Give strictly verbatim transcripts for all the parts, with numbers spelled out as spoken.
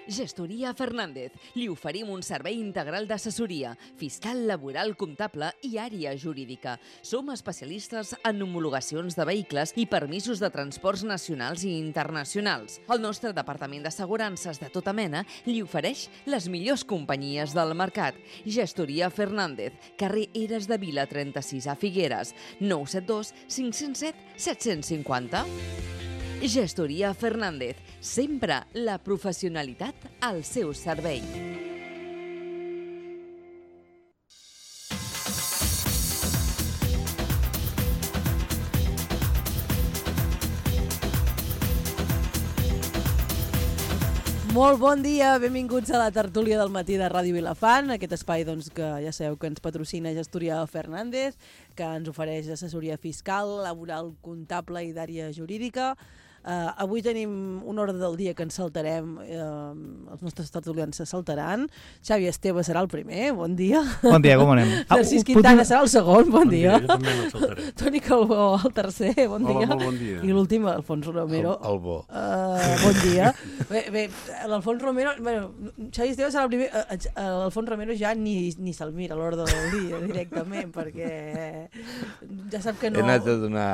Gestoria Fernández. Li oferim un servei integral d'assessoria, fiscal, laboral, comptable i àrea jurídica. Som especialistes en homologacions de vehicles i permisos de transports nacionals i internacionals. El nostre departament d'assegurances de tota mena li ofereix les millors companyies del mercat. Gestoria Fernández, carrer Eres de Vila trenta-sis a Figueres, nou set dos cinc zero set set cinc zero. Gestoria Fernández, sempre la professionalitat al seu servei. Molt bon dia, benvinguts a la tertúlia del matí de Ràdio Vilafant, aquest espai doncs, que ja sabeu que ens patrocina Gestoria Fernández, que ens ofereix assessoria fiscal, laboral, comptable i d'àrea jurídica. Uh, avui tenim un ordre del dia que ens saltarem, uh, els nostres tertulians se saltaran. Xavi Esteve serà el primer, bon dia. Bon dia, com anem? Narcís Quintana serà el segon, bon, bon dia. dia. Jo també me'l saltaré. Toni Calbó, el tercer, bon Hola, dia. molt bon dia. I l'últim, Alfons Romero. El, el bo. Uh, bon dia. Bé, bé l'Alfons Romero, bueno, Xavi Esteve serà el primer, uh, l'Alfons Romero ja ni, ni se'l mira a l'ordre del dia directament, perquè ja sap que no... He anat a donar...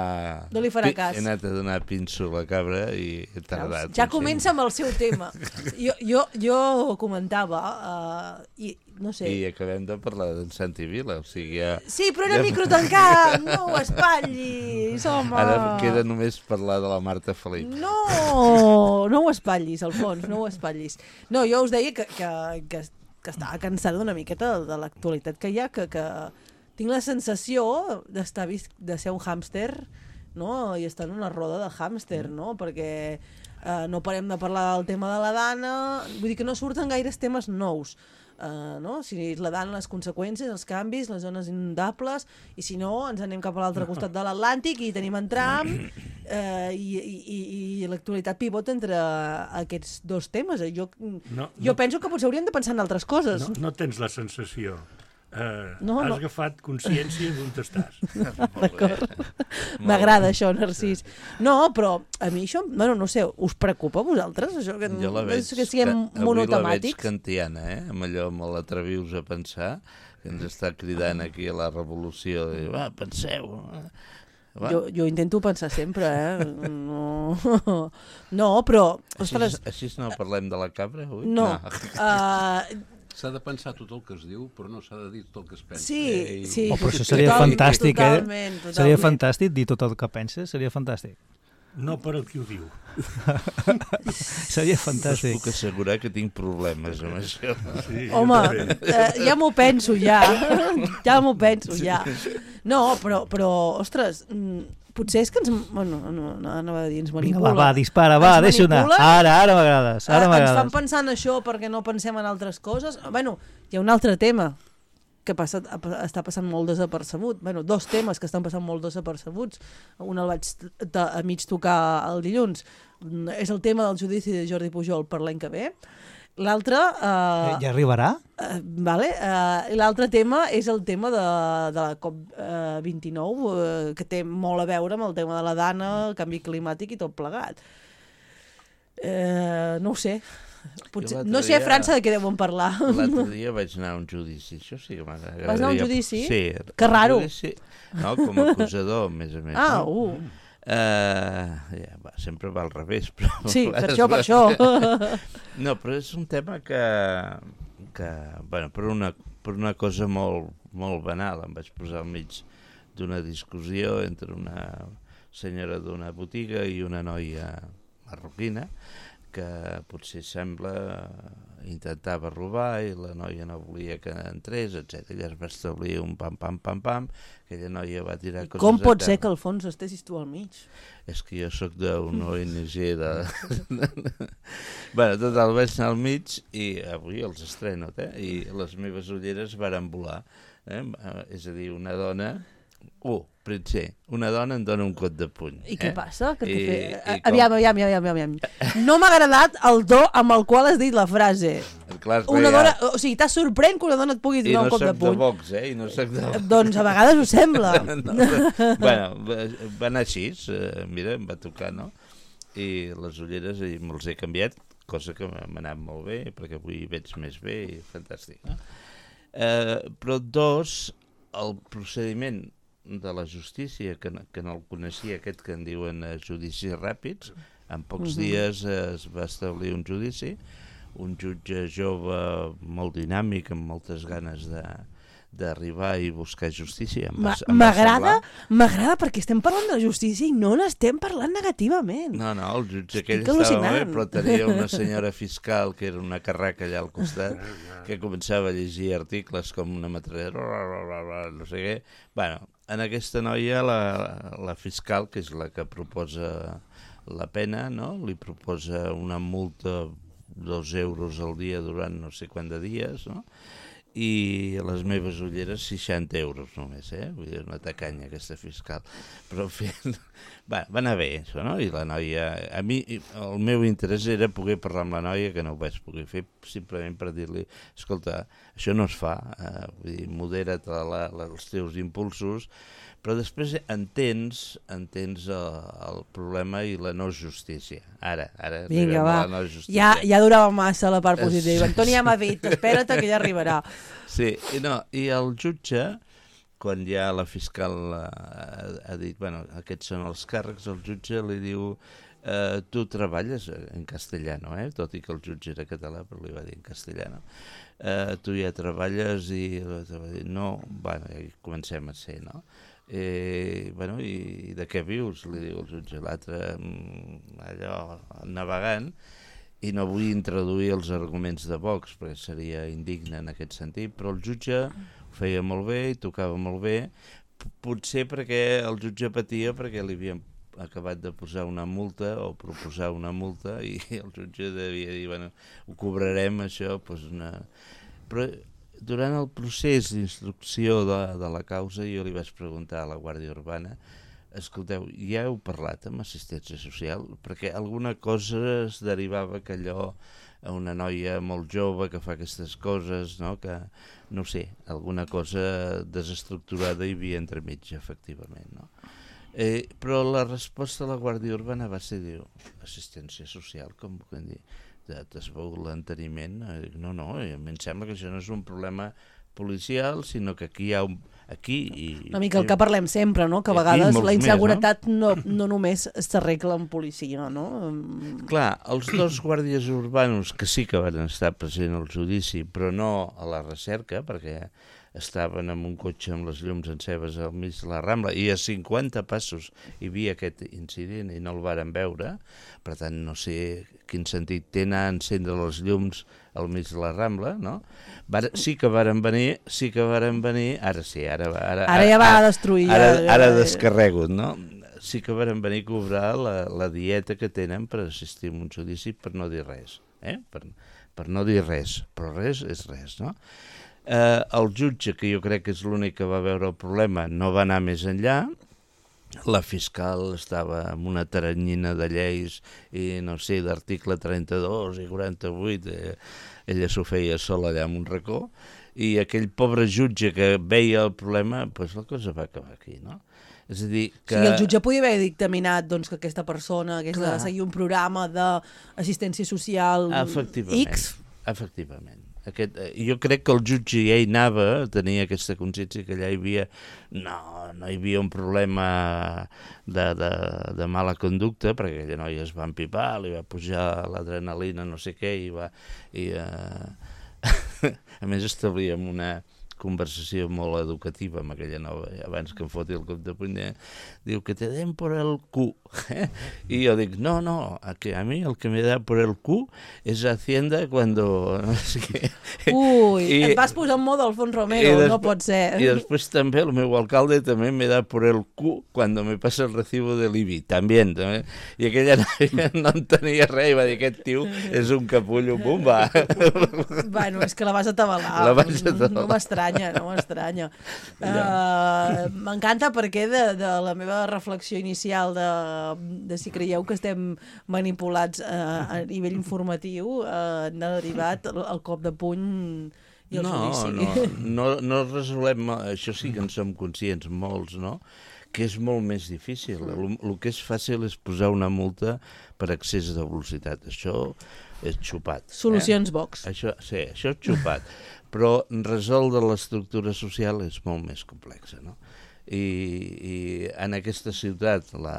No li farà cas. He anat a donar pinso a la cabra i he tardat. Ja comença amb el seu tema. Jo, jo, jo comentava, uh, i no sé... I acabem de parlar d'en Santi Vila, o sigui ja... Sí, però era ja... micro tancat, no ho espatllis, home! Ara queda només parlar de la Marta Felip. No, no ho espatllis, Alfons, no ho espatllis. No, jo us deia que, que, que, que estava cansada una miqueta de, de l'actualitat que hi ha, que, que tinc la sensació d'estar vist, de ser un hàmster, no? I estar en una roda de hàmster, no? Perquè eh, no parem de parlar del tema de la Dana, vull dir que no surten gaires temes nous, eh, no? Si la Dana, les conseqüències, els canvis, les zones inundables, i si no ens anem cap a l'altre costat de l'Atlàntic i tenim en Trump, eh, i, i, i l'actualitat pivota entre aquests dos temes. Jo, no, jo no, penso que potser hauríem de pensar en altres coses. No, no tens la sensació. Uh, no, has no. agafat consciència d'on estàs. D'acord. M'agrada això, Narcís. No, però a mi això, bueno, no sé, us preocupa a vosaltres? Això que, jo la veig, que siguem que, monotemàtics? Avui la veig kantiana, eh? Amb allò, amb l'atrevius a pensar, que ens està cridant aquí a la revolució, i va, penseu... Va. Jo, jo intento pensar sempre, eh? No, no però... Ostres... Així, així no parlem de la cabra, avui? No. no. Uh, S'ha de pensar tot el que es diu, però no s'ha de dir tot el que es pensa. Sí, Ei. sí. Oh, però això seria totalment, fantàstic, totalment, eh? Totalment. Seria fantàstic dir tot el que penses, seria fantàstic. No per el qui ho diu. Seria fantàstic. Us puc assegurar que tinc problemes amb això. Sí, home, eh, ja m'ho penso, ja. Ja m'ho penso, ja. No, però, però ostres... Potser és que ens... Bueno, no, no, anava a dir, ens manipula. Vinga, va, va, dispara, va, deixa anar. Ara, ara m'agrades, ara m'agrades. Ens fan pensar en això perquè no pensem en altres coses. Bueno, hi ha un altre tema que passa, està passant molt desapercebut. Bueno, dos temes que estan passant molt desapercebuts. Un el vaig a mig tocar el dilluns. És el tema del judici de Jordi Pujol per l'any que ve. L'altre... Uh, ja arribarà? Uh, vale. Uh, l'altre tema és el tema de, de la COP vint-i-nou, uh, que té molt a veure amb el tema de la Dana, el canvi climàtic i tot plegat. Uh, no ho sé. Potser, no sé a França de què deuen parlar. L'altre dia vaig anar a un judici. Això sí que m'agradaria. Vas anar a un judici? Sí. Que raro. Judici, no, com a acusador, a més a més. Ah, no? uh. Uh, ja, va, sempre va al revés, però... Sí, per això, per això. No, però és un tema que, que bueno, per una, per una cosa molt, molt banal, em vaig posar al mig d'una discussió entre una senyora d'una botiga i una noia marroquina, que potser sembla intentava robar i la noia no volia que entrés, etcètera. I es va establir un pam, pam, pam, pam, aquella noia va tirar coses... Com pot ser que al fons estessis tu al mig? És que jo sóc d'un O N G de... bueno, total, vaig anar al mig i avui els estreno, eh? I les meves ulleres varen volar. Eh? És a dir, una dona... Uh, Pritzer, una dona em dona un cot de puny. I què eh? passa? Que I, fe... i aviam, aviam, aviam, aviam. No m'ha agradat el to amb el qual has dit la frase. Clar, una dona, o sigui, t'ha sorprèn que una dona et pugui donar no un cop de puny. I no soc de Vox, eh? I no soc de... Doncs a vegades ho sembla. no, però, bueno, va anar així, eh, mira, em va tocar, no? I les ulleres i me'ls he canviat cosa que m'ha anat molt bé, perquè avui veig més bé i fantàstic. No? Eh, però dos, el procediment de la justícia, que, que no el coneixia, aquest que en diuen eh, judicis ràpids, en pocs uh-huh. dies eh, es va establir un judici, un jutge jove molt dinàmic, amb moltes ganes de d'arribar i buscar justícia. M'agrada m'agrada perquè estem parlant de justícia i no n'estem parlant negativament. No, no, el jutge aquell estava molt bé, però tenia una senyora fiscal que era una carraca allà al costat que començava a llegir articles com una metrallera, no sé què. Bueno, en aquesta noia la, la fiscal, que és la que proposa la pena, no? Li proposa una multa dos euros al dia durant no sé quant de dies, no? I a les meves ulleres seixanta euros només, eh? Vull dir, una tacanya aquesta fiscal. Però en fi, va, va anar bé això, no? I la noia... A mi, el meu interès era poder parlar amb la noia, que no ho vaig poder fer, simplement per dir-li, escolta, això no es fa, eh? Vull dir, modera't la, la, els teus impulsos, però després entens, entens el, el problema i la no justícia. Ara, ara Vinga, arribem va. a la no justícia. Ja, ja durava massa la part positiva. Antoni ja m'ha dit, espera't que ja arribarà. Sí, i, no, i el jutge, quan ja la fiscal ha, ha dit, bueno, aquests són els càrrecs, el jutge li diu, eh, tu treballes en castellano, eh? Tot i que el jutge era català, però li va dir en castellano. Eh, tu ja treballes i no, bueno, ja comencem a ser, no? Eh, bueno, i de què vius? Li diu el jutge, l'altre allò navegant, i no vull introduir els arguments de Vox perquè seria indigne en aquest sentit, però el jutge ho feia molt bé i tocava molt bé, potser perquè el jutge patia perquè li havien acabat de posar una multa o proposar una multa i el jutge devia dir, bueno, ho cobrarem això, doncs una... Però durant el procés d'instrucció de, de la causa jo li vaig preguntar a la Guàrdia Urbana, escolteu, ja heu parlat amb assistència social? Perquè alguna cosa es derivava que allò a una noia molt jove que fa aquestes coses, no? Que, no sé, alguna cosa desestructurada hi havia entremig, efectivament, no? Eh, però la resposta de la Guàrdia Urbana va ser, diu, assistència social, com puc dir? Es veu l'enteniment, no, no, a mi em sembla que això no és un problema policial, sinó que aquí hi ha un... Aquí i, una mica el que parlem sempre, no? Que a vegades la inseguretat més, no? No, no només s'arregla amb policia, no? Clar, els dos guàrdies urbanos que sí que van estar presents al judici, però no a la recerca, perquè estaven amb un cotxe amb les llums enceses al mig de la Rambla i a cinquanta passos hi havia aquest incident i no el varen veure, per tant no sé quin sentit té anar a encendre les llums al mig de la Rambla, no? Var, sí que varen venir, sí que varen venir, ara sí, ara... Ara, ara ja va ara, destruir. Ara, ara, ara descarrego, no? Sí que varen venir a cobrar la, la dieta que tenen per assistir a un judici per no dir res, eh? Per, per no dir res, però res és res, no? Eh, el jutge, que jo crec que és l'únic que va veure el problema, no va anar més enllà. La fiscal estava amb una taranyina de lleis i no sé, d'article trenta-dos i quaranta-vuit, eh, ella s'ho feia sola allà en un racó, i aquell pobre jutge que veia el problema, doncs la cosa va acabar aquí, no? És a dir que... Sí, el jutge podia haver dictaminat doncs, que aquesta persona hagués Clar. de seguir un programa d'assistència social efectivament, X. Efectivament. Aquest, jo crec que el jutge ja hi anava, tenia aquesta consciència que allà hi havia, no, no hi havia un problema de, de, de mala conducta, perquè aquella noia es va empipar, li va pujar l'adrenalina, no sé què, i va... I, uh... a més establíem una conversació molt educativa amb aquella nova, abans que em foti el cop de puny, diu que te den por el cu. ¿Eh? I jo dic, no, no, a, que a mi el que me da por el cu és Hacienda cuando... No sé què. Ui, I, et vas posar en modo Alfons Romero, després, no pot ser. I després també el meu alcalde també me da por el cu cuando me pasa el recibo de l'I B I, també, també. I aquella noia no en tenia res i va dir, aquest tio és un capullo, bum, va. Bueno, és que la vas atabalar. La vas atabalar. No m'estranya, no m'estranya. Uh, M'encanta perquè de, de la meva reflexió inicial de, de si creieu que estem manipulats uh, a nivell informatiu, uh, n'ha derivat el, el cop de puny i el no, judici. No, no, no resolem, això sí que en som conscients molts, no? que és molt més difícil. El, el que és fàcil és posar una multa per excés de velocitat. Això és xupat. Solucions eh? Vox. Això, sí, això és xupat. Però resoldre l'estructura social és molt més complexa, no? I, i en aquesta ciutat, la,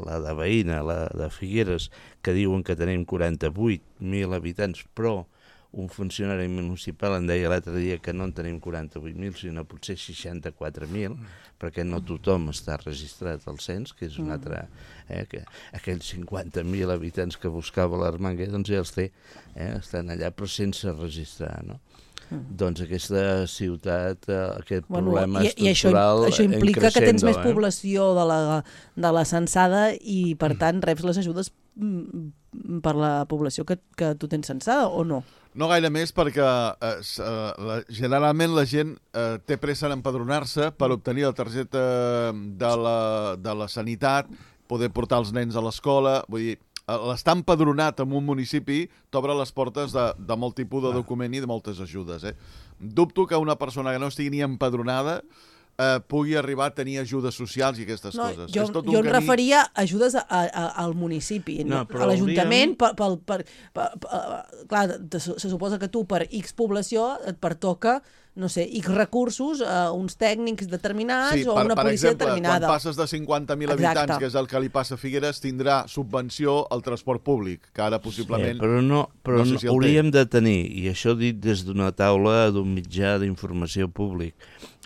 la de Veïna, la de Figueres, que diuen que tenim quaranta-vuit mil habitants, però un funcionari municipal em deia l'altre dia que no en tenim quaranta-vuit mil, sinó potser seixanta-quatre mil, perquè no tothom està registrat al cens, que és un altre... Eh, que aquells cinquanta mil habitants que buscava l'Armanguer, doncs ja els té, eh, estan allà, però sense registrar, no? Doncs aquesta ciutat, aquest bueno, problema i, estructural i això, això implica que tens més eh? població de la, de la censada i, per tant, reps les ajudes per la població que, que tu tens censada, o no? No gaire més, perquè eh, la, generalment la gent eh, té pressa en empadronar-se per obtenir la targeta de la, de la sanitat, poder portar els nens a l'escola, vull dir, l'estar empadronat en un municipi t'obre les portes de, de molt tipus de document i de moltes ajudes. Eh? Dubto que una persona que no estigui ni empadronada eh, pugui arribar a tenir ajudes socials i aquestes no, coses. Jo, és tot jo un em camí... referia a ajudes a, a, al municipi, no, a l'Ajuntament. hauríem... Per, per, per, per, per, clar, se suposa que tu per X població et pertoca, no sé, X recursos a uns tècnics determinats sí, o per, una per policia exemple, determinada. quan passes de cinquanta mil habitants, que és el que li passa a Figueres, tindrà subvenció al transport públic, que ara possiblement... Sí, però no, però no sé no, si el hauríem té. de tenir, i això dit des d'una taula d'un mitjà d'informació públic,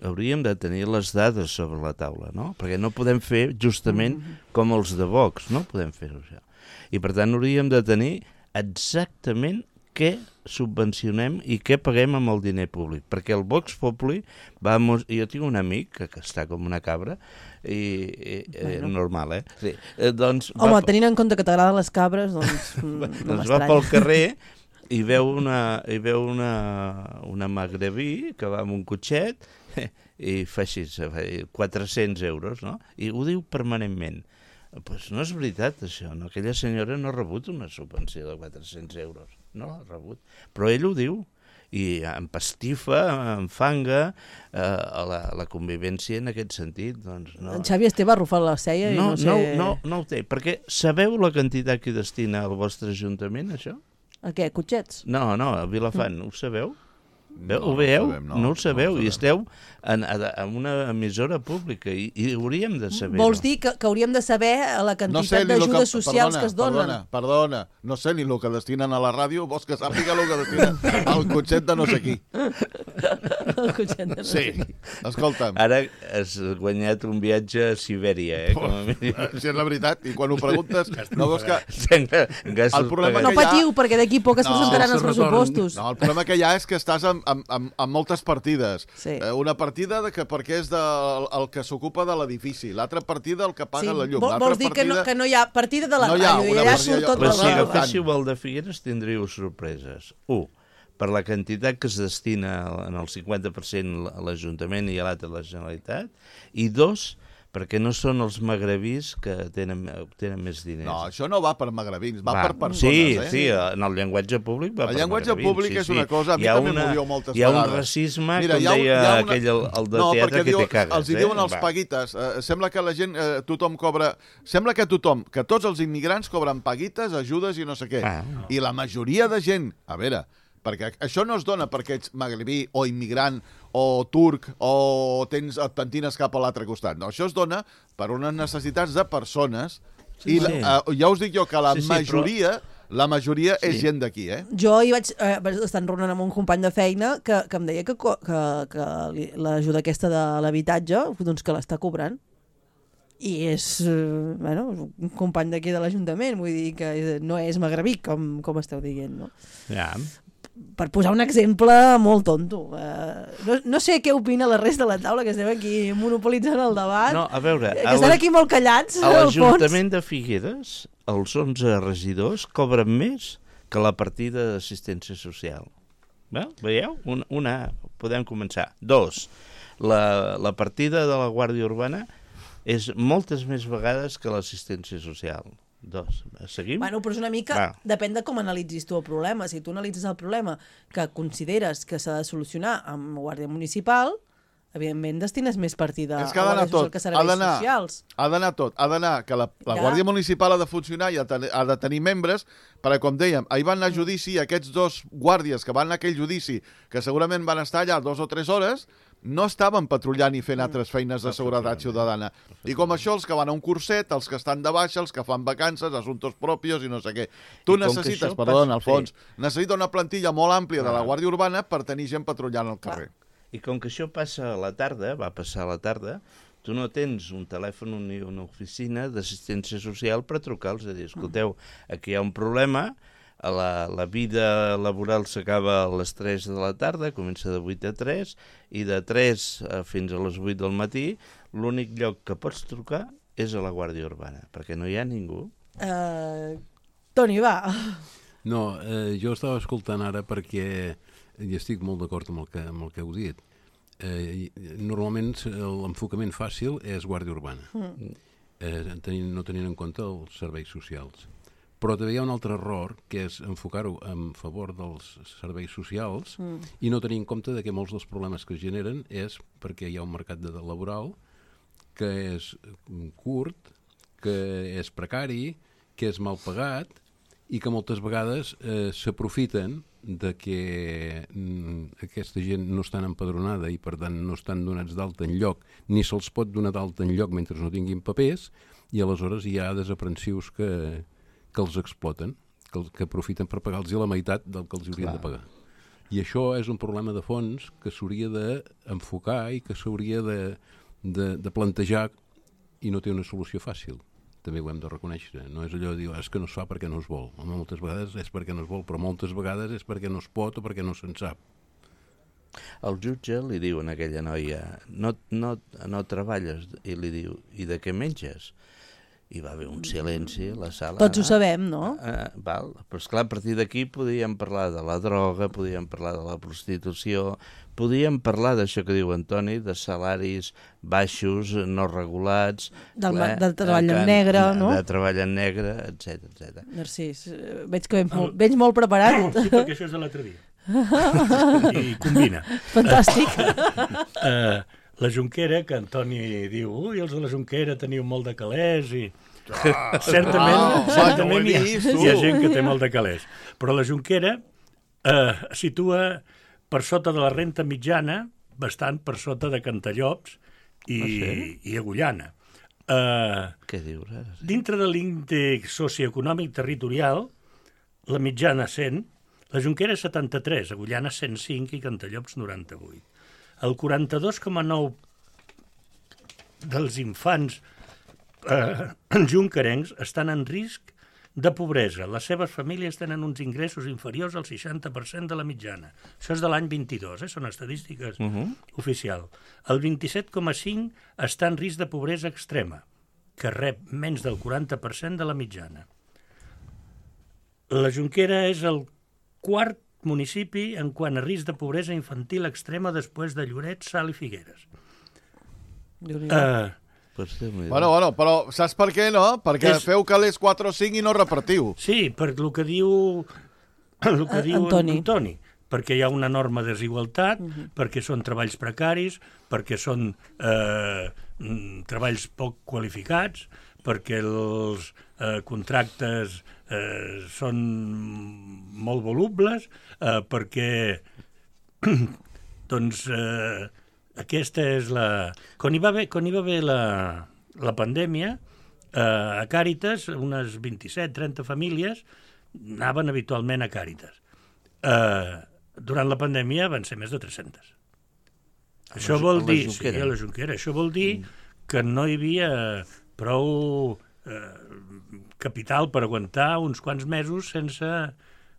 hauríem de tenir les dades sobre la taula, no? Perquè no podem fer justament mm-hmm. com els de Vox, no podem fer-ho això. I per tant hauríem de tenir exactament què subvencionem i què paguem amb el diner públic, perquè el Vox Populi va... Jo tinc un amic que, que està com una cabra i, i bueno. normal, eh? Sí. eh doncs, Home, va... tenint en compte que t'agraden les cabres, doncs no doncs va pel carrer i veu una, i veu una, una magrebí que va amb un cotxet i fa així, quatre-cents euros, no? I ho diu permanentment. Pues no és veritat, això. No? Aquella senyora no ha rebut una subvenció de quatre-cents euros. No l'ha rebut. Però ell ho diu. I empastifa, enfanga eh, la, la convivència en aquest sentit. Doncs no. En Xavi Esteve ha arrufat la cella i no, no sé... No, no, no ho té. Perquè sabeu la quantitat que destina al vostre ajuntament, això? A què? Cotxets? No, no, a Vilafant. Mm. Ho sabeu? No, ho veieu? No, sabem, no, no ho sabeu, no ho i esteu en, en una emissora pública i, i hauríem de saber. Vols dir que, que hauríem de saber la quantitat no sé d'ajudes que, socials perdona, que es donen? Perdona, perdona, no sé ni el que destinen a la ràdio, vols que sàpiga el que destinen al cotxet de no sé qui. El cotxet de no sí, sé qui. Escolta'm. Ara has guanyat un viatge a Sibèria, eh? Com a mínim. Si és la veritat, i quan ho preguntes, no veus que... El problema no que patiu, ha... perquè d'aquí poc es no, presentaran els pressupostos. No, el problema que hi ha és que estàs amb, amb, amb, amb moltes partides. Sí. Eh, una partida de que perquè és de, el, el que s'ocupa de l'edifici, l'altra partida el que paga Sí, la llum. vol- vols dir que no, que no hi ha partida de la No hi ha ràdio, i una allà partida, surt tot però Però el si sí, agaféssiu el de Figueres tindríeu sorpreses. Un, per la quantitat que es destina en el cinquanta per cent a l'Ajuntament i a l'altre a la Generalitat. I dos, perquè no són els magrebís que tenen, tenen més diners. No, això no va per magrebins, va, Va, per persones. sí, eh? sí, en el llenguatge públic va El per llenguatge magrebins, públic sí, és una sí. cosa, a mi Hi ha també una, m'ho diu moltes hi ha vegades. un racisme, Mira, com hi ha un- deia hi ha una... aquell, el, el de no, teatre, perquè que diu, te cagues. els hi diuen eh? els Va. paguites. Eh, sembla que la gent, eh, tothom cobra... Sembla que tothom, que tots els immigrants cobren paguites, ajudes i no sé què. Ah. I la majoria de gent... A veure, perquè això no es dona perquè ets magrebí o immigrant o turc o tens, et pentines cap a l'altre costat. No, això es dona per unes necessitats de persones i la, sí. eh, ja us dic jo que la Sí, sí, majoria... La majoria Sí. és gent d'aquí, eh? Jo hi vaig eh, vaig estar enraonant amb un company de feina que, que em deia que, co- que, que li- l'ajuda aquesta de l'habitatge doncs que l'està cobrant. I és, eh, bueno, un company d'aquí de l'Ajuntament, vull dir que no és magrebí, com, com esteu dient, no? Ja. Per posar un exemple molt tonto. Eh, no, no sé què opina la resta de la taula, que estem aquí monopolitzant el debat. No, a veure... que estan aquí molt callats, A al fons. l'Ajuntament de Figueres, els onze regidors cobren més que la partida d'assistència social. Bé, veieu? Una, una, podem començar. Dos, la, la partida de la Guàrdia Urbana és moltes més vegades que l'assistència social. Dos. Seguim? Bueno, però és una mica... Va. Depèn de com analitzis tu el problema. Si tu analitzes el problema que consideres que s'ha de solucionar amb Guàrdia Municipal, evidentment destines més partida És que ha d'anar tot, que ha serveis d'anar, socials. ha d'anar tot, ha d'anar que la, la Ja. Guàrdia Municipal ha de funcionar i ha, ten, ha de tenir membres, perquè com dèiem, ahir van anar a judici aquests dos guàrdies que van anar a aquell judici, que segurament van estar allà dos o tres hores, no estaven patrullant i fent altres feines de seguretat ciutadana. I com això, els que van a un curset, els que estan de baixa, els que fan vacances, assumptos propios i no sé què. Tu I com que necessites, això perdó, passa- Alfons, sí. necessita una plantilla molt àmplia de la Clar. Guàrdia Urbana per tenir gent patrullant al carrer. I com que això passa a la tarda, va passar a la tarda, tu no tens un telèfon ni una oficina d'assistència social per trucar-los i dir, escolteu, aquí hi ha un problema, la, la vida laboral s'acaba a les tres de la tarda, comença de vuit a tres, i de tres fins a les vuit del matí, l'únic lloc que pots trucar és a la Guàrdia Urbana, perquè no hi ha ningú. Uh, Toni, va. No, eh, jo estava escoltant ara perquè i estic molt d'acord amb, el que, amb el que heu dit. Eh, normalment l'enfocament fàcil és Guàrdia Urbana, mm. eh, tenint, no tenint en compte els serveis socials. Però també hi ha un altre error, que és enfocar-ho en favor dels serveis socials mm. i no tenir en compte de que molts dels problemes que es generen és perquè hi ha un mercat de laboral que és curt, que és precari, que és mal pagat i que moltes vegades eh, s'aprofiten de que mm, aquesta gent no estan empadronada i per tant no estan donats d'alta enlloc, ni se'ls pot donar d'alta enlloc mentre no tinguin papers, i aleshores hi ha desaprensius que, que els exploten, que, que aprofiten per pagar-los la meitat del que els haurien Clar. de pagar. I això és un problema de fons que s'hauria d'enfocar i que s'hauria de, de, de plantejar i no té una solució fàcil. També ho hem de reconèixer. No és allò de dir, és que no es fa perquè no es vol. Home, moltes vegades és perquè no es vol, però moltes vegades és perquè no es pot o perquè no se'n sap. El jutge li diu a aquella noia, no, no, no treballes, i li diu, i de què menges? I va haver un silenci a la sala. Tots ho sabem, no? Uh, val. Però esclar, a partir d'aquí podíem parlar de la droga, podíem parlar de la prostitució, podíem parlar d'això que diu Antoni, de salaris baixos, no regulats... Del, eh, del treball en que, negre, no? De treball en negre, etcètera, etcètera. Narcís, veig que vens molt, vens molt preparat. Sí, perquè això és de l'altre dia. I combina. Fantàstic. Uh, la Jonquera, que Antoni diu, ui, els de la Jonquera teniu molt de calés i... Ah, certament, ah, certament no hi, ha, vist, hi ha gent que té molt de calés. Però la Jonquera eh, situa per sota de la renta mitjana, bastant per sota de Cantallops i, Ah, sí? i Agullana. Eh, Què dius ara? dintre de l'índex socioeconòmic territorial, la mitjana cent, la Jonquera és setanta-tres, Agullana cent cinc i Cantallops noranta-vuit. El quaranta-dos coma nou dels infants eh, jonquerencs estan en risc de pobresa. Les seves famílies tenen uns ingressos inferiors al seixanta per cent de la mitjana. Això és de l'any vint-i-dos, eh? Són estadístiques uh -huh. oficials. El vint-i-set coma cinc està en risc de pobresa extrema, que rep menys del quaranta per cent de la mitjana. La Jonquera és el quart municipi en quant a risc de pobresa infantil extrema després de Lloret, Salt i Figueres. Uh, Pues Déu-n'hi-do. Bueno, bueno, però saps per què, no? Perquè És- feu calés quatre o cinc i no repartiu. sí, per el que diu, el que Eh, diu Antoni. Antoni, perquè hi ha una enorme desigualtat, uh-huh. perquè són treballs precaris, perquè són eh, mm, treballs poc qualificats, perquè els eh, contractes eh, són molt volubles, eh, perquè doncs eh, aquesta és la... Quan hi va haver, quan hi va haver la, la pandèmia, eh, a Càritas, unes vint-i-set trenta famílies anaven habitualment a Càritas. Eh, durant la pandèmia van ser més de tres-centes. Això la- vol a la dir... Sí, Jonquera. a la Jonquera. Això vol dir que no hi havia prou eh, capital per aguantar uns quants mesos sense,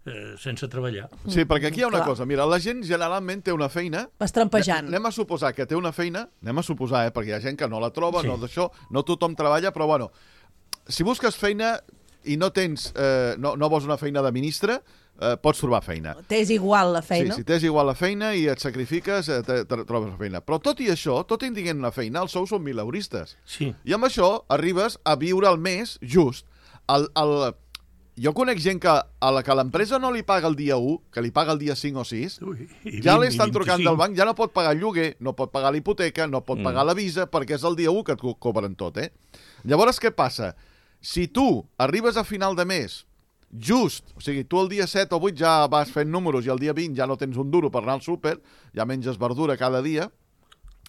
eh, sense treballar. Sí, perquè aquí hi ha una Clar. cosa. Mira, la gent generalment té una feina... Vas trampejant. Anem a suposar que té una feina, anem a suposar, eh, perquè hi ha gent que no la troba, Sí. no d'això, no tothom treballa, però bueno, si busques feina i no tens, eh, no, no vols una feina de ministre, eh, pots trobar feina. T'és igual la feina. Sí, si tens igual la feina i et sacrifiques, eh, te, te trobes la feina. Però tot i això, tot i tinguent una feina, els sous són mileuristes. Sí. I amb això arribes a viure el mes just. El, el, jo conec gent que a la que l'empresa no li paga el dia u, que li paga el dia cinc o sis, Ui, i ja vint, li estan i trucant vint-i-cinc. del banc, ja no pot pagar el lloguer, no pot pagar l'hipoteca, no pot Mm. pagar la visa, perquè és el dia u que et co- cobren tot, eh? Llavors, què passa? Si tu arribes a final de mes, just, o sigui, tu el dia set o vuit ja vas fent números i el dia vint ja no tens un duro per anar al súper, ja menges verdura cada dia,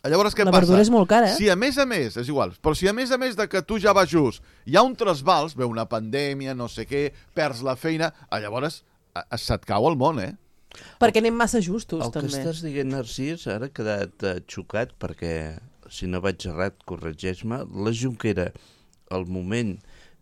llavors què La passa? verdura és molt cara, eh? Si a més a més, és igual, però si a més a més de que tu ja vas just, hi ha un trasbals, ve una pandèmia, no sé què, perds la feina, ah, llavors a- a- se't cau el món, eh? Perquè anem massa justos, El que també. estàs dient, Narcís, ara he quedat eh, xocat perquè, si no vaig errat, corregeix-me, la Junquera, al moment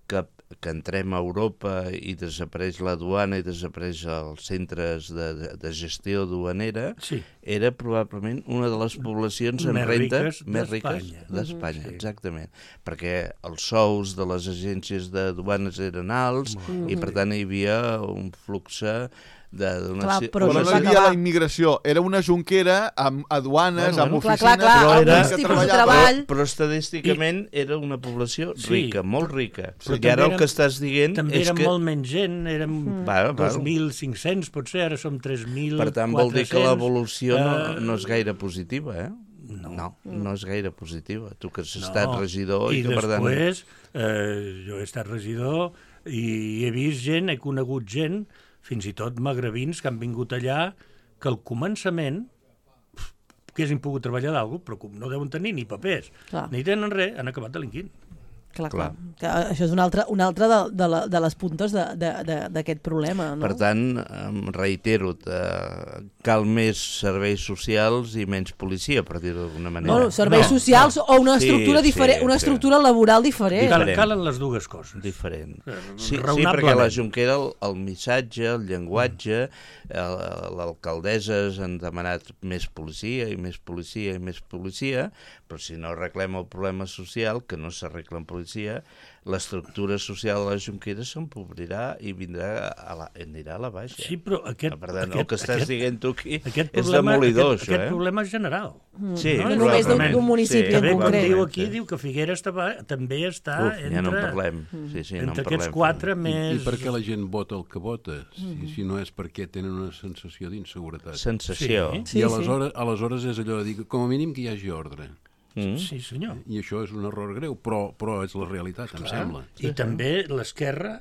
que, que entrem a Europa i desapareix la duana i desapareix els centres de, de, de gestió duanera, Sí. era probablement una de les poblacions amb Més renta riques més d'Espanya. riques d'Espanya, Sí. exactament. Perquè els sous de les agències de duanes eren alts i, per tant, hi havia un flux de donació. Clar, però Però no això hi va havia acabar. la immigració, era una jonquera amb aduanes, Bueno, amb bueno. Clar, oficines... clar, clar, Però era- alguns que tipus de treballaven. treball... Però, però estadísticament era una població Sí. rica, molt rica. Però I ara també el que estàs dient També és érem que... molt menys gent, érem Va, va. dos mil cinc-cents, potser, ara som tres mil Per tant, vol dir que l'evolució no, no és gaire positiva, eh? No. No, no és gaire positiva. Tu que has estat No. regidor i, I que, per tant... després, eh, jo he estat regidor i he vist gent, he conegut gent, fins i tot magrebins que han vingut allà, que al començament pf, que hagin pogut treballar d'algú, però com no deuen tenir ni papers, Clar. ni tenen res, han acabat delinquint. Clar, Clar. clar. Que això és una altra, una altra de, de, la, de les puntes de- de- de- d'aquest problema, no? Per tant, em reitero, eh, cal més serveis socials i menys policia, per dir-ho d'alguna manera. Bueno, serveis No, socials no. o una Sí, estructura sí, diferent, una sí. estructura laboral diferent. Calen, Diferent. calen les dues coses. Diferent. Eh, Sí, sí, raonablement. perquè a la Junquera el, el missatge, el llenguatge, el- l'alcaldessa han demanat més policia i més policia i més policia, però si no arreglem el problema social, que no s'arregla en policia, l'estructura social de la Junquera s'empobrirà i vindrà a la, anirà a la baixa. Sí, però aquest, Per tant, aquest, el que estàs aquest, dient tu aquí aquest és problema, demolidor, aquest, això, aquest eh? problema és general. Sí, No només d'un- probablement. d'un municipi Que en bé, quan concret. diu aquí, diu que Figueres tava, també està Uf, entre, ja no en parlem. Sí, sí, no en entre parlem. aquests quatre I, més... I per què la gent vota el que vota? Si, si no és perquè tenen una sensació d'inseguretat. Sensació. Sí. Sí, I sí. aleshores, aleshores és allò de dir, que com a mínim que hi hagi ordre. Mm. Sí, senyor. I això és un error greu, però, però és la realitat, em sembla. I també l'esquerra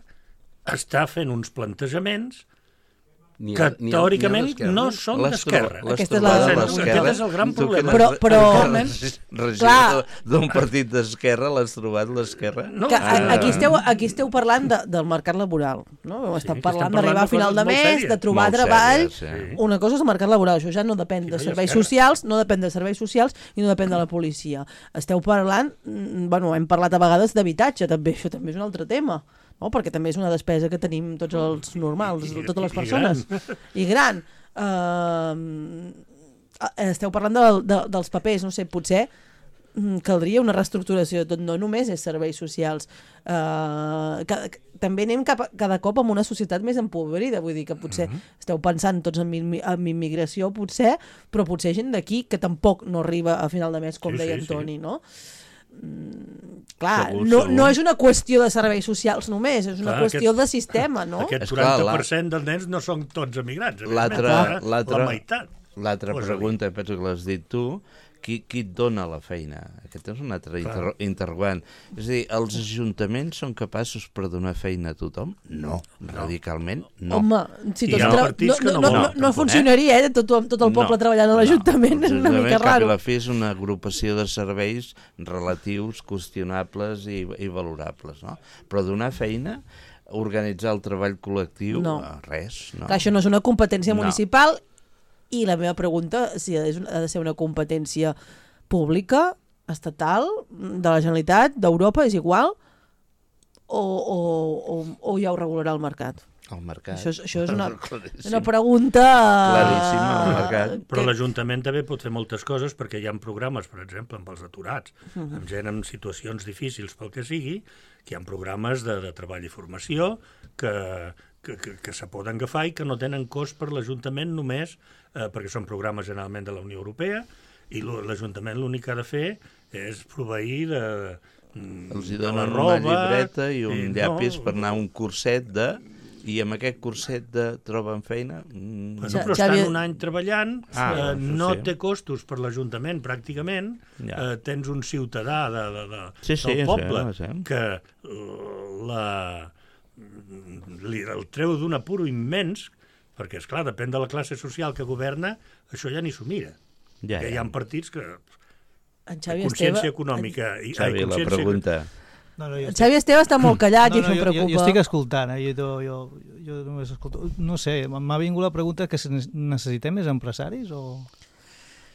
està fent uns plantejaments N'hi que ha- n'hi ha- n'hi ha teòricament d'esquerra. no són Les d'esquerra. tro- les Aquesta és la- trobades Aquest d'esquerra. és el gran Tu que problema. n'has- Però- però- que n'has regidor Clar. d'un partit d'esquerra, l'has trobat l'esquerra? No, Que a- Ah. aquí, esteu, aquí esteu parlant de, del mercat laboral, no? Heu estat que parlant estem d'arribar parlant a de final de coses molt mes, sèries. de trobar Molt treball... sèries, sí. Una cosa és el mercat laboral, això ja no depèn de no hi ha serveis esquerra. socials, no depèn de serveis socials i no depèn de la policia. Esteu parlant, mm, bueno, hem parlat a vegades d'habitatge, també, això també és un altre tema, no? Perquè també és una despesa que tenim tots els normals, I- totes les i persones. gran. I gran. Uh, esteu parlant de, de, dels papers, no sé, potser mm, caldria una reestructuració de tot, no només és serveis socials. Uh, que, que, també anem cap a, cada cop amb una societat més empobrida, vull dir que potser esteu pensant tots en, immi- en immigració, potser, però potser gent d'aquí que tampoc no arriba a final de mes, com Sí, deia sí, sí. Antoni, no? Mm, clar, Segur, no, segur. no és una qüestió de serveis socials només, és una Clar, qüestió aquest- de sistema, no? Aquest És clar, quaranta per cent dels nens no són tots emigrants. L'altra- evidentment, eh? l'altra- La meitat. L'altra Posa-li. pregunta, penso que l'has dit tu, qui, qui et dona la feina? Aquest és un altre inter interrogant. És a dir, els ajuntaments són capaços per donar feina a tothom? No, radicalment no. Home, si I tots hi ha tra- partits que no, no no, no, volen, no tampoc, funcionaria, eh? Tot, tot el poble No, treballant a l'Ajuntament, és una mica L'Ajuntament, cap i raro. la fi, és una agrupació de serveis relatius, qüestionables i, i valorables, no? Però donar feina, organitzar el treball col·lectiu, No. eh, res, no. Clar, això no és una competència No. municipal i la meva pregunta, si és, ha de ser una competència pública, estatal, de la Generalitat, d'Europa, és igual, o, o, o, o ja ho regularà el mercat? El mercat. Això és, això és una, Claríssim. una pregunta... Claríssim, el mercat. Però que- l'Ajuntament també pot fer moltes coses perquè hi ha programes, per exemple, amb els aturats, amb gent en situacions difícils pel que sigui, que hi ha programes de, de treball i formació que, que, que, que se poden agafar i que no tenen cost per l'Ajuntament només eh, perquè són programes generalment de la Unió Europea i lo- l'Ajuntament l'únic que ha de fer és proveir de, Els hi de la donen roba, una llibreta i un i llapis no, per anar a un curset de... I amb aquest curset de troben feina... Mm... Bueno, però estan un any treballant, ah, eh, no sí. té costos per l'Ajuntament, pràcticament. Ja. Eh, tens un ciutadà de, de, de, sí, sí, del poble sí, sí. que la, li, el treu d'un apuro immens, perquè, és clar, depèn de la classe social que governa, això ja ni s'ho mira. Ja, que ja. hi ha partits que... En Xavi consciència Esteve... econòmica... En... I, Xavi, ai, consciència... la pregunta... No, no, jo el Xavi Esteve està molt callat no, i això no, em preocupa. Jo, jo estic escoltant, eh? jo, jo, jo només escolto. No sé, m'ha vingut la pregunta que necessitem més empresaris o...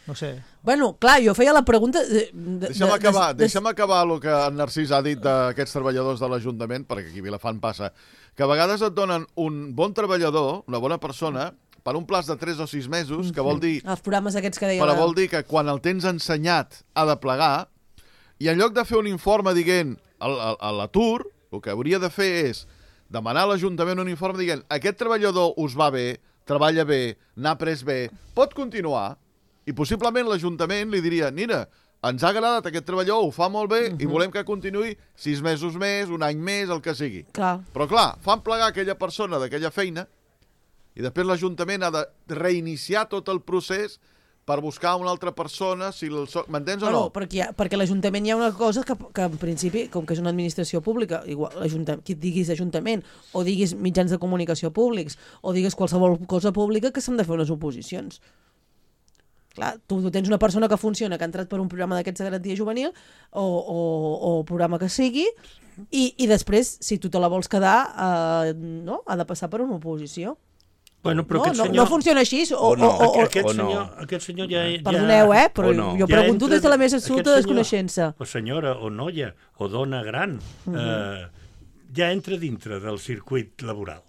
No sé. Bueno, clar, jo feia la pregunta... De, de, Deixa'm acabar, de, de... deixa'm acabar el que en Narcís ha dit d'aquests treballadors de l'Ajuntament, perquè aquí a Vilafant passa, que a vegades et donen un bon treballador, una bona persona, per un plaç de tres o sis mesos, que vol dir... Els programes aquests que deia... Però vol dir que quan el tens ensenyat ha de plegar, i en lloc de fer un informe dient a l'atur, el que hauria de fer és demanar a l'Ajuntament un informe dient aquest treballador us va bé, treballa bé, n'ha pres bé, pot continuar, i possiblement l'Ajuntament li diria, mira, ens ha agradat aquest treballador, ho fa molt bé, uh -huh. i volem que continuï sis mesos més, un any més, el que sigui. Clar. Però clar, fan plegar aquella persona d'aquella feina, i després l'Ajuntament ha de reiniciar tot el procés per buscar una altra persona, si el so... m'entens o no? No, perquè, perquè l'Ajuntament hi ha una cosa que, que en principi, com que és una administració pública, igual, qui diguis Ajuntament, o diguis mitjans de comunicació públics, o diguis qualsevol cosa pública, que s'han de fer unes oposicions. Clar, tu, tu tens una persona que funciona, que ha entrat per un programa d'aquests de garantia juvenil, o, o, o programa que sigui, i, i després, si tu te la vols quedar, eh, no? Ha de passar per una oposició. Bueno, però no, aquest no, senyor... no funciona així. O, o no. o, o, aquest, o no. senyor, aquest senyor ja... ja Perdoneu, eh? Però no. jo ja pregunto entra, des de la més absoluta aquest senyor, desconeixença. O senyora, o noia, o dona gran, uh-huh. eh, ja entra dintre del circuit laboral.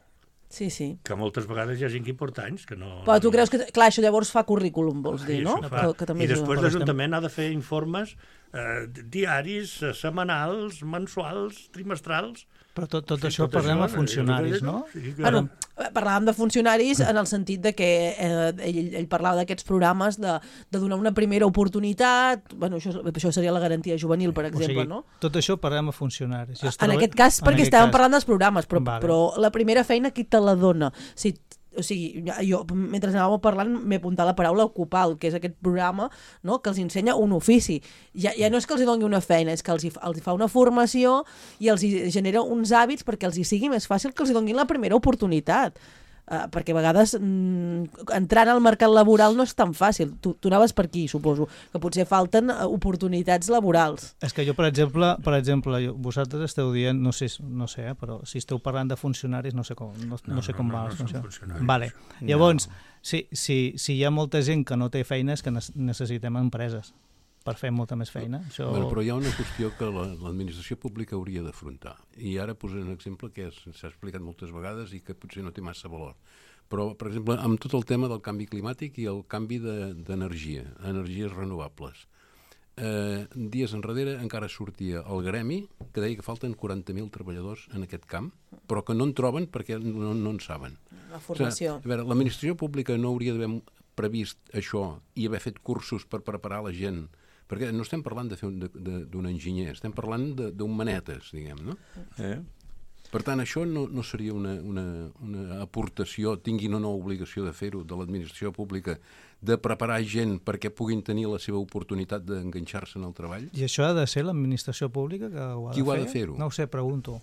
Sí, sí. Que moltes vegades hi ha gent que hi porta anys, que no... Però tu creus que... Clar, això llavors fa currículum, vols dir, Sí, no? fa. Que, que també I després ajuda. l'Ajuntament ha de fer informes eh, diaris, eh, setmanals, mensuals, trimestrals... Però tot, tot Sí, això tot parlem això, a funcionaris, eh, no? Sí, que... Bueno, parlàvem de funcionaris en el sentit de que eh, ell, ell parlava d'aquests programes de, de donar una primera oportunitat, bueno, això, això seria la garantia juvenil, per exemple, o sigui, no? Tot això parlem a funcionaris. I es En troba... aquest cas, perquè estàvem cas... parlant dels programes, però, Vale. però la primera feina qui te la dona? Si, o sigui, jo, mentre anàvem parlant, m'he apuntat la paraula ocupal, que és aquest programa, no?, que els ensenya un ofici. Ja, ja no és que els hi doni una feina, és que els hi, els hi fa una formació i els hi genera uns hàbits perquè els hi sigui més fàcil que els hi donin la primera oportunitat. Uh, perquè a vegades mm, entrant al mercat laboral no és tan fàcil. Tu, tu anaves per aquí, suposo, que potser falten uh, oportunitats laborals. És que jo, per exemple, per exemple jo, vosaltres esteu dient, no sé, no sé eh, però si esteu parlant de funcionaris, no sé com, no, no, no sé com no, va no, la no funció. funcionaris. Vale. Llavors, no. si, si, si hi ha molta gent que no té feina és que necessitem empreses per fer molta més feina. Això... Bueno, però hi ha una qüestió que l'administració pública hauria d'afrontar. I ara posaré un exemple que s'ha explicat moltes vegades i que potser no té massa valor. Però, per exemple, amb tot el tema del canvi climàtic i el canvi d'energia, de, energies renovables. Eh, dies enrere encara sortia el gremi que deia que falten quaranta mil treballadors en aquest camp, però que no en troben perquè no, no en saben. La formació. O sigui, a veure, l'administració pública no hauria d'haver previst això i haver fet cursos per preparar la gent, perquè no estem parlant de fer d'un enginyer, estem parlant d'un manetes, diguem, no? Eh? Per tant, això no, no seria una, una, una aportació, tinguin o no obligació de fer-ho, de l'administració pública, de preparar gent perquè puguin tenir la seva oportunitat d'enganxar-se en el treball? I això ha de ser l'administració pública que ho ha Qui de ho ha fer? de fer-ho? No ho sé, pregunto.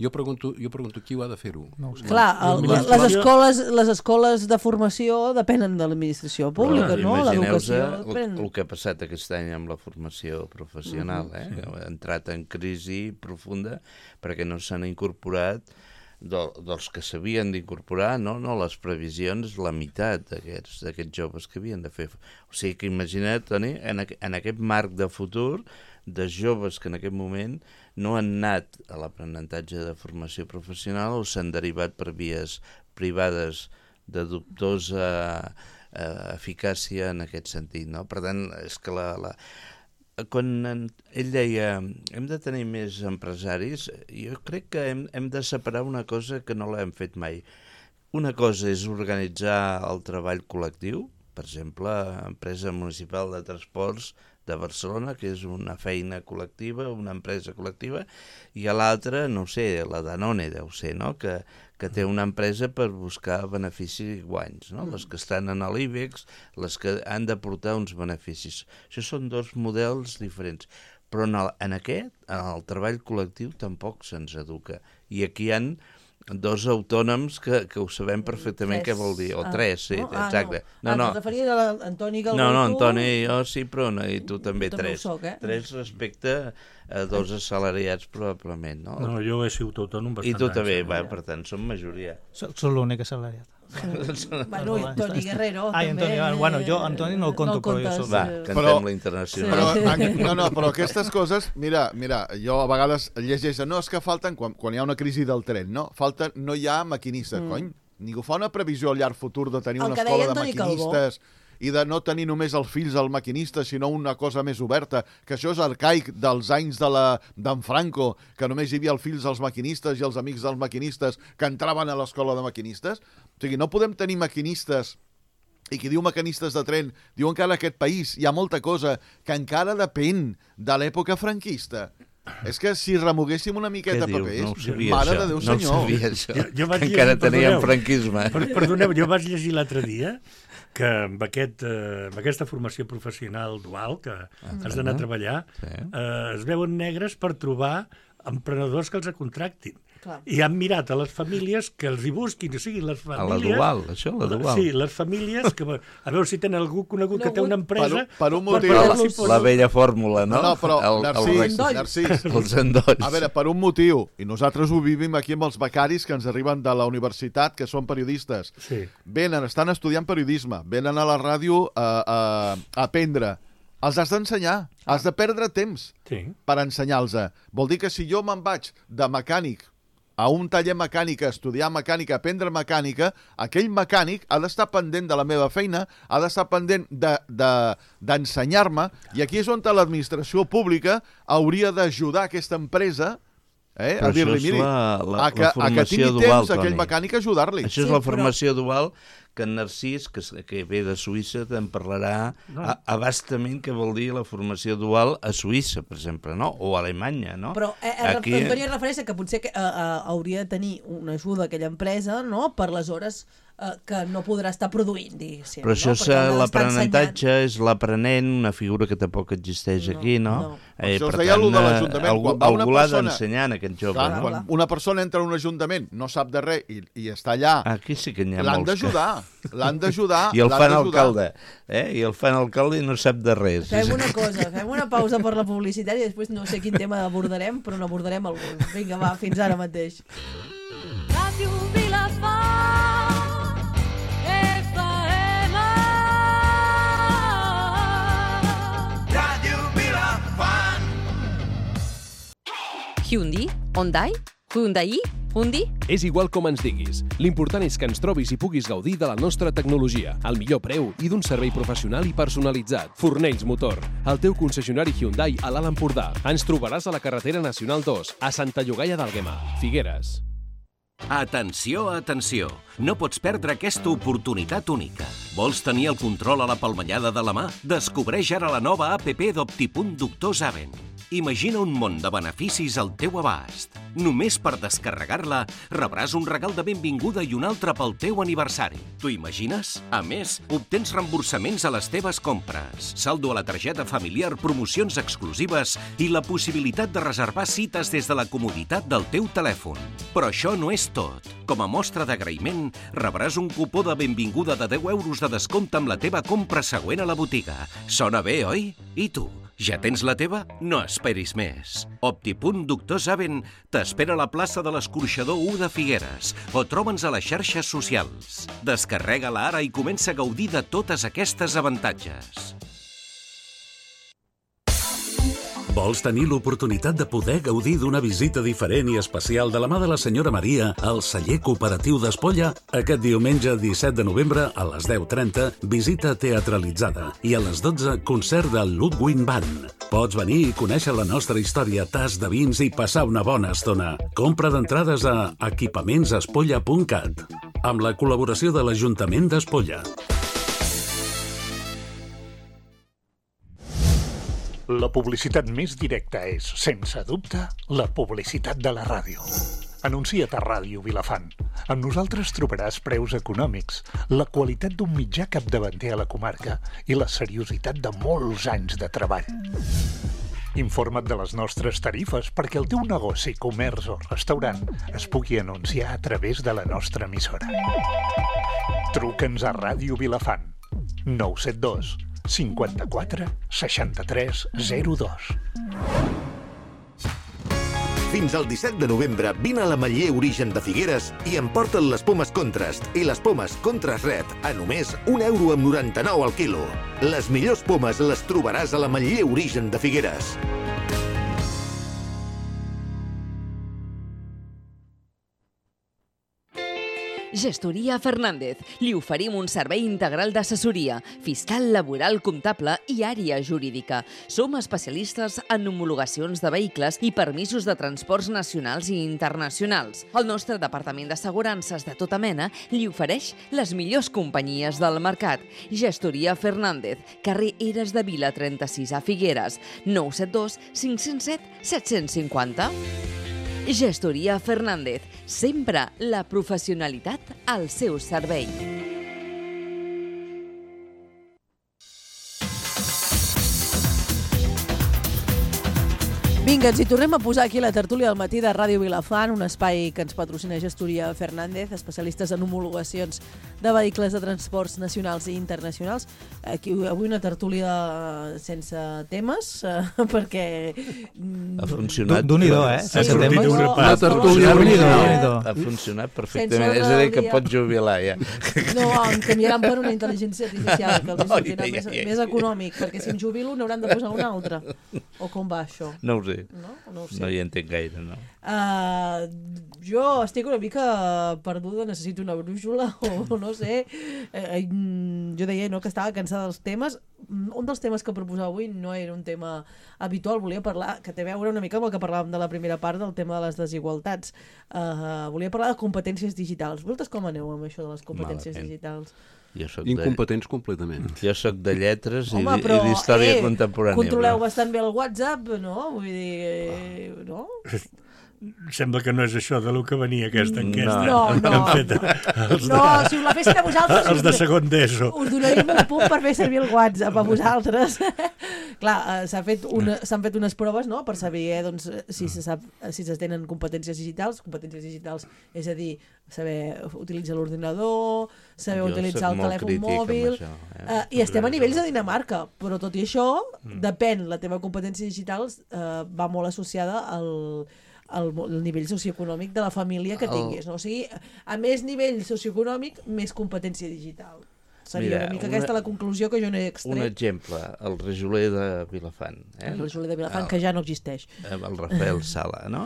Jo pregunto, jo pregunto qui ho ha de fer-ho. No ho sé. Clar, el, les, escoles, les escoles de formació depenen de l'administració pública, Però, no? imagineu-se L'educació el, depèn... el que ha passat aquest any amb la formació professional, eh? Sí. Ha entrat en crisi profunda perquè no s'han incorporat de, dels que s'havien d'incorporar, no? No les previsions, la meitat d'aquests d'aquests joves que havien de fer. O sigui que imagina't, Toni, en, aqu en aquest marc de futur de joves que en aquest moment no han anat a l'aprenentatge de formació professional o s'han derivat per vies privades de dubtosa eh, eficàcia en aquest sentit, no? Per tant, és que la... la quan en, ell deia hem de tenir més empresaris, jo crec que hem, hem de separar una cosa que no l'hem fet mai. Una cosa és organitzar el treball col·lectiu, per exemple, empresa municipal de transports de Barcelona, que és una feina col·lectiva, una empresa col·lectiva, i a l'altra, no ho sé, la Danone deu ser, no? que, que té una empresa per buscar beneficis i guanys, no? Les que estan en l'IBEX, les que han d'aportar uns beneficis. Això són dos models diferents. Però en, el, en aquest, en el treball col·lectiu, tampoc se'ns educa. I aquí hi ha dos autònoms que, que ho sabem perfectament tres. Què vol dir. O ah, tres, sí, no? exacte. Ah, no, no. Ah, no. referies a l'Antoni Galvó. No, no, Antoni i jo sí, però no, i tu també tu tres. Soc, eh? Tres respecte a dos assalariats, probablement. No, no jo he sigut autònom bastant. I tu també, va, per tant, som majoria. Soc, soc l'únic assalariat. Bueno, i Toni Guerrero ah, també. Antoni, bueno, jo Antoni no el conto, no el però jo soc... Va, cantem però, la internacional. Però, no, no, però aquestes coses, mira, mira, jo a vegades llegeixo, no, és que falten, quan, quan hi ha una crisi del tren, no? Falten, no hi ha maquinistes, mm. cony. Ningú fa una previsió a llarg futur de tenir el una escola de maquinistes Calvó. I de no tenir només els fills al maquinista, sinó una cosa més oberta, que això és arcaic dels anys de la d'en Franco, que només hi havia els fills dels maquinistes i els amics dels maquinistes que entraven a l'escola de maquinistes. O sigui, no podem tenir maquinistes, i qui diu maquinistes de tren, diu encara aquest país, hi ha molta cosa que encara depèn de l'època franquista. És que si remoguéssim una miqueta papers, no sabia, mare això. de Déu senyor. No sabia això, jo, jo que encara teníem franquisme. Per, perdoneu, jo vaig llegir l'altre dia que amb, aquest, eh, amb aquesta formació professional dual que ah, has d'anar a treballar, sí. eh, es veuen negres per trobar emprenedors que els contractin. Clar. I han mirat a les famílies que els hi busquin, o sigui, les famílies... A la dual, això, la dual. Sí, les famílies, que, a veure si tenen algú conegut no, que té una empresa... Per, per un motiu... Per, per, la, la vella fórmula, no? No, no però, el, Narcís, el Narcís, els endolls. A veure, per un motiu, i nosaltres ho vivim aquí amb els becaris que ens arriben de la universitat, que són periodistes. Sí. Venen, estan estudiant periodisme, venen a la ràdio a, a, a aprendre. Els has d'ensenyar, has de perdre temps sí. per ensenyar-los. Vol dir que si jo me'n vaig de mecànic a un taller mecànic, a estudiar mecànica, a aprendre mecànica, aquell mecànic ha d'estar pendent de la meva feina, ha d'estar pendent d'ensenyar-me, de, de, i aquí és on l'administració pública hauria d'ajudar aquesta empresa eh, a dir-li, miri, la, la, a, que, a que tingui dual, temps aquell mecànic a ajudar-li. Això és sí, la formació però... dual, que en Narcís, que, que ve de Suïssa, te'n parlarà no. a, abastament què vol dir la formació dual a Suïssa, per exemple, no? O a Alemanya, no? Però eh, Aquí... Antoni es refereix que potser que, eh, eh, hauria de tenir una ajuda a aquella empresa, no?, per les hores eh, que no podrà estar produint, diguéssim. Però això no? l'aprenentatge és l'aprenent, una figura que tampoc existeix no, aquí, no? no. Eh, això per tant, de l'Ajuntament. Algú, algú l'ha d'ensenyar en aquest jove, clar, no? Quan una persona entra en un ajuntament, no sap de res i, i està allà, aquí sí que n'hi ha l'han d'ajudar. L'han d'ajudar. I el fan alcalde. Eh? I el fan alcalde i no sap de res. Fem una cosa, fem una pausa per la publicitat i després no sé quin tema abordarem, però n'abordarem algun. Vinga, va, fins ara mateix. Ràdio Vilafant, F M. Ràdio Vilafant. Hyundai, Hyundai, Hyundai, Hyundai? És igual com ens diguis. L'important és que ens trobis i puguis gaudir de la nostra tecnologia, al millor preu i d'un servei professional i personalitzat. Fornells Motor, el teu concessionari Hyundai a l'Alt Empordà. Ens trobaràs a la carretera Nacional dos, a Santa Llogaia d'Àlguema, Figueres. Atenció, atenció! No pots perdre aquesta oportunitat única. Vols tenir el control a la palmellada de la mà? Descobreix ara la nova app d'Optipunt Doctor Zaven. Imagina un món de beneficis al teu abast. Només per descarregar-la rebràs un regal de benvinguda i un altre pel teu aniversari. T'ho imagines? A més, obtens reemborsaments a les teves compres, saldo a la targeta familiar, promocions exclusives i la possibilitat de reservar cites des de la comoditat del teu telèfon. Però això no és tot. Com a mostra d'agraïment, rebràs un cupó de benvinguda de deu euros de descompte amb la teva compra següent a la botiga. Sona bé, oi? I tu? Ja tens la teva? No esperis més. Optipunt Doctor Zaven t'espera a la plaça de l'Escorxador u de Figueres o troba'ns a les xarxes socials. Descarrega-la ara i comença a gaudir de totes aquestes avantatges. Vols tenir l'oportunitat de poder gaudir d'una visita diferent i especial de la mà de la senyora Maria al celler cooperatiu d'Espolla? Aquest diumenge disset de novembre a les deu trenta, visita teatralitzada i a les dotze, concert del Ludwig Band. Pots venir i conèixer la nostra història, tas de vins i passar una bona estona. Compra d'entrades a equipaments espolla punt cat amb la col·laboració de l'Ajuntament d'Espolla. La publicitat més directa és, sense dubte, la publicitat de la ràdio. Anuncia't a Ràdio Vilafant. Amb nosaltres trobaràs preus econòmics, la qualitat d'un mitjà capdavanter a la comarca i la seriositat de molts anys de treball. Informa't de les nostres tarifes perquè el teu negoci, comerç o restaurant es pugui anunciar a través de la nostra emissora. Truca'ns a Ràdio Vilafant. nou set dos cinquanta-quatre seixanta-tres zero dos. Fins al disset de novembre vine a l'Ametller Origen de Figueres i emporta't les pomes Contrast i les pomes Contrast Red a només un euro amb noranta-nou al quilo. Les millors pomes les trobaràs a l'Ametller Origen de Figueres. Gestoria Fernández. Li oferim un servei integral d'assessoria, fiscal, laboral, comptable i àrea jurídica. Som especialistes en homologacions de vehicles i permisos de transports nacionals i internacionals. El nostre departament d'assegurances de tota mena li ofereix les millors companyies del mercat. Gestoria Fernández, carrer Eres de Vila trenta-sis a Figueres, nou set dos cinc zero set set cinc zero. Gestoria Fernández, sempre la professionalitat al seu servei. Vinga, ens hi tornem a posar aquí a la tertúlia del matí de Ràdio Vilafant, un espai que ens patrocina Gestoria Fernández, especialistes en homologacions de vehicles de transports nacionals i internacionals. Aquí, avui una tertúlia sense temes, eh, perquè... Ha funcionat. D'un-i-do, eh? Sí, Sense temes. no, La tertúlia d'un-i-do. ha funcionat perfectament. És a dir, que pots jubilar, ja. No, em canviaran per una intel·ligència artificial, que els No, sortirà ja, més, ja, ja. més econòmic, perquè si em jubilo n'hauran de posar una altra. O com va això? No ho sé. No, no, ho sé. No hi entenc gaire, no. Uh, jo estic una mica perduda, necessito una brúixola o no sé. Uh, jo deia no, que estava cansada dels temes. Un dels temes que proposava avui no era un tema habitual, volia parlar, que té a veure una mica amb el que parlàvem de la primera part del tema de les desigualtats. Uh, volia parlar de competències digitals. Vosaltres com aneu amb això de les competències Malament. digitals? Jo soc Incompetents de... completament. Jo sóc de lletres i, Home, però, i d'història eh, contemporània. Controleu però... bastant bé el WhatsApp, no? Vull dir, eh, no? Sembla que no és això de lo que venia aquesta enquesta. No, no. Han fet els de, No, si us la fessin a vosaltres... els de segon d'ESO. Us donaríem un punt per fer servir el WhatsApp a vosaltres. Clar, eh, s'ha fet una, s'han fet unes proves, no?, per saber eh, doncs, si se sap, si es tenen competències digitals. Competències digitals, és a dir, saber utilitzar l'ordinador, saber Jo utilitzar soc el molt telèfon crític amb mòbil... això, eh? Eh, I estem a nivells de Dinamarca, però tot i això, depèn, la teva competència digital eh, va molt associada al... El, el nivell socioeconòmic de la família que El- tinguis, no? O sigui, a més nivell socioeconòmic, més competència digital. Seria Mira, una mica una- aquesta la conclusió que jo n'he Un extret. exemple, el rajoler de Vilafant. Eh? El rajoler de Vilafant, que ja no existeix. El Rafael Sala, no?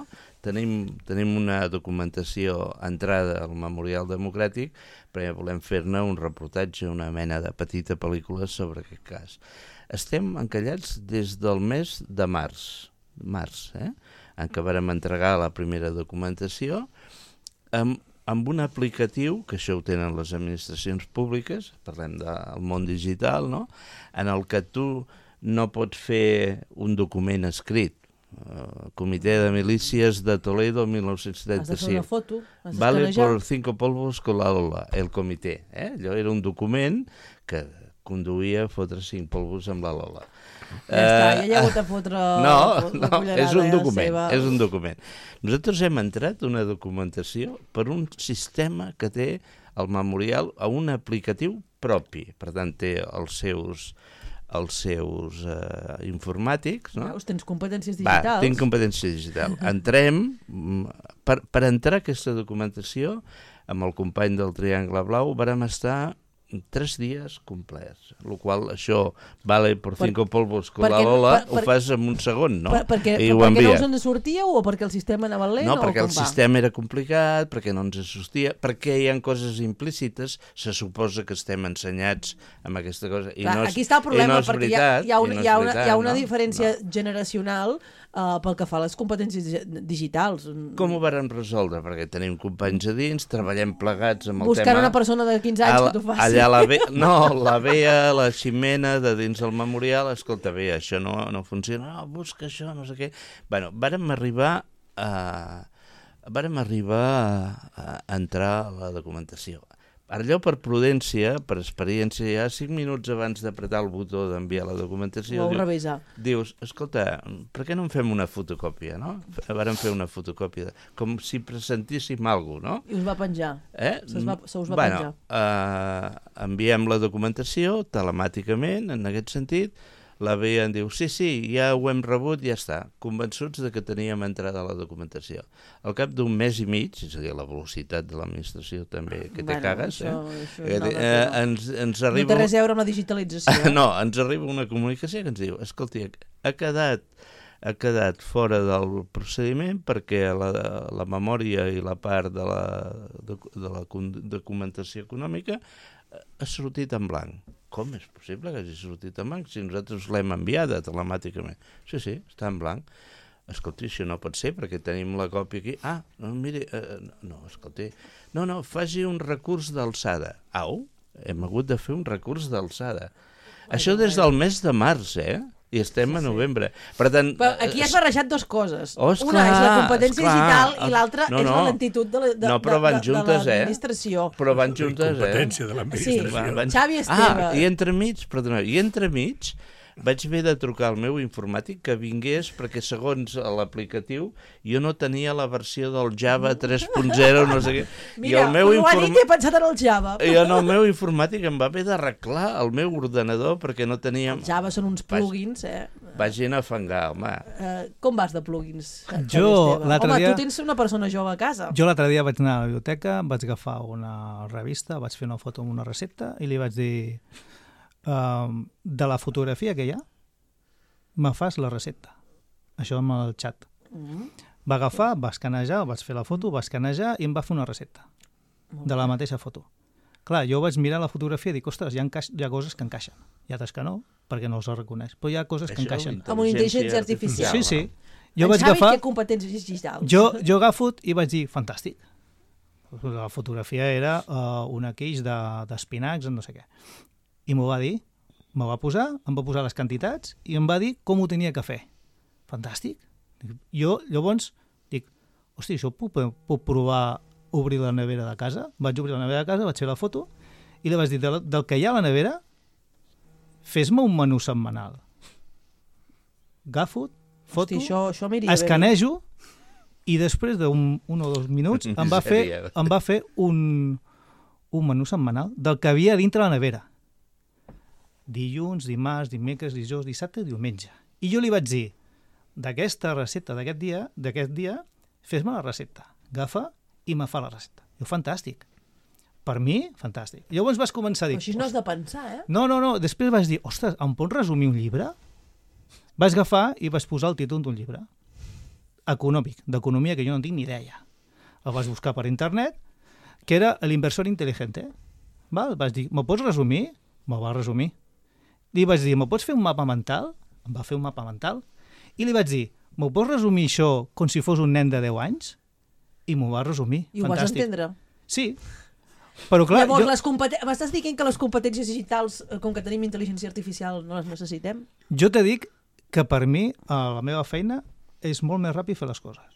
Tenim, tenim una documentació entrada al Memorial Democràtic perquè volem fer-ne un reportatge, una mena de petita pel·lícula sobre aquest cas. Estem encallats des del mes de març, març, eh? en què vàrem entregar la primera documentació, amb, amb un aplicatiu, que això ho tenen les administracions públiques, parlem del món digital, no? En el que tu no pots fer un document escrit. Uh, Comitè de Milícies de Toledo, mil nou-cents Has de fer setanta-cinc. una foto, has Vale d'escanejar. por cinco polvos con la Lola, el comitè. Eh? Allò era un document que conduïa a fotre cinc polvos amb la Lola. Ja està, ja hi ha hagut a fotre no, la no, cullerada, és un eh, document, seva. és un document. Nosaltres hem entrat una documentació per un sistema que té el memorial a un aplicatiu propi, per tant té els seus els seus uh, informàtics, no? Veus, tens competències Va, digitals. tinc competència digital. Entrem, mm, per, per entrar a aquesta documentació, amb el company del Triangle Blau, vàrem estar tres dies complets, el qual això vale por cinco per, polvos con la Lola, per, per, ho fas en un segon, no? Per, perquè I per, ho perquè no envia. us en sortíeu o perquè el sistema anava lent? No, o perquè com el va? sistema era complicat, perquè no ens sortia, perquè hi ha coses implícites, se suposa que estem ensenyats amb aquesta cosa, i Clar, no és, aquí està el problema, i no és perquè veritat, hi ha, hi ha, una, no hi ha, és una, veritat, hi ha una no? diferència No. generacional uh, pel que fa a les competències dig- digitals. Com ho varen resoldre? Perquè tenim companys a dins, treballem plegats amb el Buscant tema... una persona de quinze anys Al- que t'ho faci. Allà ha la Bea, no, la Bea, la Ximena de dins del memorial, escolta, Bea, això no, no funciona, no, busca això, no sé què. Bueno, vàrem arribar a, vàrem arribar a, a entrar a la documentació. Allò per prudència, per experiència, ja cinc minuts abans d'apretar el botó d'enviar la documentació... Ho vau diu, revisar. Dius, escolta, per què no en fem una fotocòpia, no? Vàrem fer una fotocòpia, de, com si presentíssim alguna cosa, no? I us va penjar. Eh? Se us va, se us va bueno, penjar. Uh, enviem la documentació telemàticament, en aquest sentit, la Bea en diu, sí, sí, ja ho hem rebut, ja està, convençuts de que teníem entrada a la documentació. Al cap d'un mes i mig, és a dir, la velocitat de l'administració també, que te bueno, cagues, això, eh? això eh, eh ens, ens arriba... No té res a veure amb la digitalització. no, ens arriba una comunicació que ens diu, escolti, ha quedat, ha quedat fora del procediment perquè la, la memòria i la part de la, de, de la documentació econòmica ha sortit en blanc. Com és possible que hagi sortit en blanc si nosaltres l'hem enviada telemàticament? Sí, sí, està en blanc. Escolti, això no pot ser perquè tenim la còpia aquí. Ah, no, miri, eh, no, escolti, no, no, faci un recurs d'alçada. Au, hem hagut de fer un recurs d'alçada. Això des del mes de març, eh? I estem sí, a novembre. Sí. Per tant, però aquí has barrejat dues coses. Oh, esclar, una és la competència esclar, digital i l'altra no, no. és la lentitud de, de, no, però van de, juntes, de l'administració. Eh? Però van juntes, eh? Competència de l'administració. Sí, van, van... Xavi Esteve. Ah, i entremig, perdona, i entremig vaig haver de trucar al meu informàtic que vingués perquè segons l'aplicatiu jo no tenia la versió del Java tres punt zero, no sé què. Mira, I el meu ho ha inform... dit i he pensat en el Java. I en el meu informàtic em va haver d'arreglar el meu ordenador perquè no teníem... El Java són uns plugins, eh? Vagin a fangar, home. Uh, com vas de plugins? Jo, l'altre home, dia... tu tens una persona jove a casa. Jo l'altre dia vaig anar a la biblioteca, vaig agafar una revista, vaig fer una foto amb una recepta i li vaig dir... Uh, de la fotografia que hi ha, me fas la recepta. Això amb el xat. Mm. Va agafar, va escanejar, vaig fer la foto, va escanejar i em va fer una recepta de la mateixa foto. Clar, jo vaig mirar la fotografia i dic, ostres, hi ha, hi ha coses que encaixen. Hi ha altres que no, perquè no els reconeix. Però hi ha coses que Això, encaixen. Amb una intel·ligència artificial. Sí, sí. Jo en vaig Xavi agafar... té competències digitals. Jo, jo agafo i vaig dir, fantàstic. La fotografia era uh, una queix d'espinacs, de, no sé què. I m'ho va dir, m'ho va posar, em va posar les quantitats i em va dir com ho tenia que fer. Fantàstic. Jo, llavors, dic, hosti, això puc, puc provar obrir la nevera de casa? Vaig obrir la nevera de casa, vaig fer la foto i li vaig dir, del, del que hi ha a la nevera, fes-me un menú setmanal. Agafo, foto, hosti, això, això escanejo i després d'un un o dos minuts em va fer, em va fer un, un menú setmanal del que havia dintre la nevera. Dilluns, dimarts, dimecres, dijous, dissabte i diumenge. I jo li vaig dir, d'aquesta recepta d'aquest dia, d'aquest dia, fes-me la recepta. Agafa i me fa la recepta. Jo, fantàstic. Per mi, fantàstic. Llavors vas començar a dir... Però així no has de pensar, eh? No, no, no. Després vaig dir, ostres, em pots resumir un llibre? Vaig agafar i vaig posar el títol d'un llibre. Econòmic, d'economia, que jo no tinc ni idea. El vaig buscar per internet, que era l'inversor intel·ligente. Val? Vaig dir, me pots resumir? Me'l va resumir. Li vaig dir, me pots fer un mapa mental? Em va fer un mapa mental. I li vaig dir, me pots resumir això com si fos un nen de deu anys? I m'ho va resumir. I ho vas entendre? Sí. Però clar... Llavors, jo... les competen... m'estàs dient que les competències digitals, com que tenim intel·ligència artificial, no les necessitem? Jo te dic que per mi, a la meva feina, és molt més ràpid fer les coses.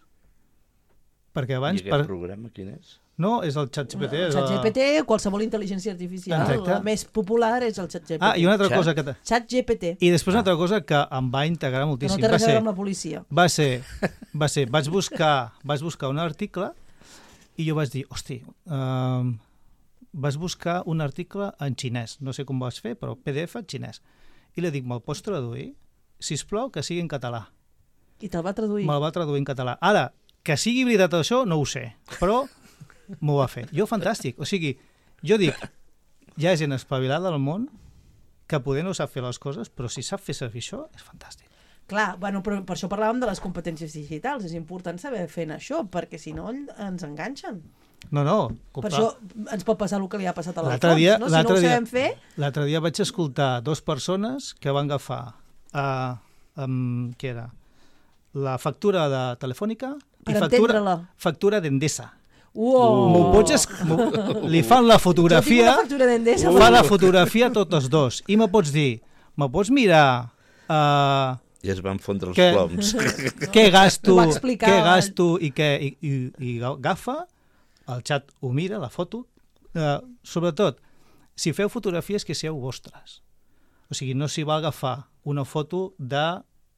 Perquè abans... I aquest per... programa quin és? No, és el ChatGPT. El ChatGPT, qualsevol intel·ligència artificial, Exacte. La més popular és el ChatGPT. Ah, i una altra Chat? cosa que... Te... ChatGPT. I després una altra cosa que em va integrar moltíssim. Que no té res a ser... veure amb la policia. Va ser... Va ser... Vaig buscar, vaig buscar un article i jo vaig dir, hosti, uh, vaig buscar un article en xinès. No sé com ho vas fer, però P D F en xinès. I li dic, me'l pots traduir? Sisplau, que sigui en català. I te'l va traduir? Me'l va traduir en català. Ara, que sigui veritat això, no ho sé, però... m'ho va fer. Jo, fantàstic. O sigui, jo dic, hi ha gent espavilada al món que poder no sap fer les coses, però si sap fer servir això, és fantàstic. Clar, bueno, però per això parlàvem de les competències digitals. És important saber fer això, perquè si no ens enganxen. No, no. Per això ens pot passar el que li ha passat a l'Alfons, dia, no? Si no ho sabem fer... L'altre dia vaig escoltar dues persones que van agafar uh, um, què era? La factura de Telefònica per i factura, entendre-la. factura d'Endesa. Uou. M'ho pots... Es... Li fan la fotografia... Jo tinc una factura d'Endesa. Fa la fotografia tots dos. I me pots dir, me pots mirar... Uh, I es van fondre els que, ploms. Què gasto, explicar, què gasto i què... I, i, i agafa, el xat ho mira, la foto. Uh, sobretot, si feu fotografies que sigueu vostres. O sigui, no s'hi va agafar una foto de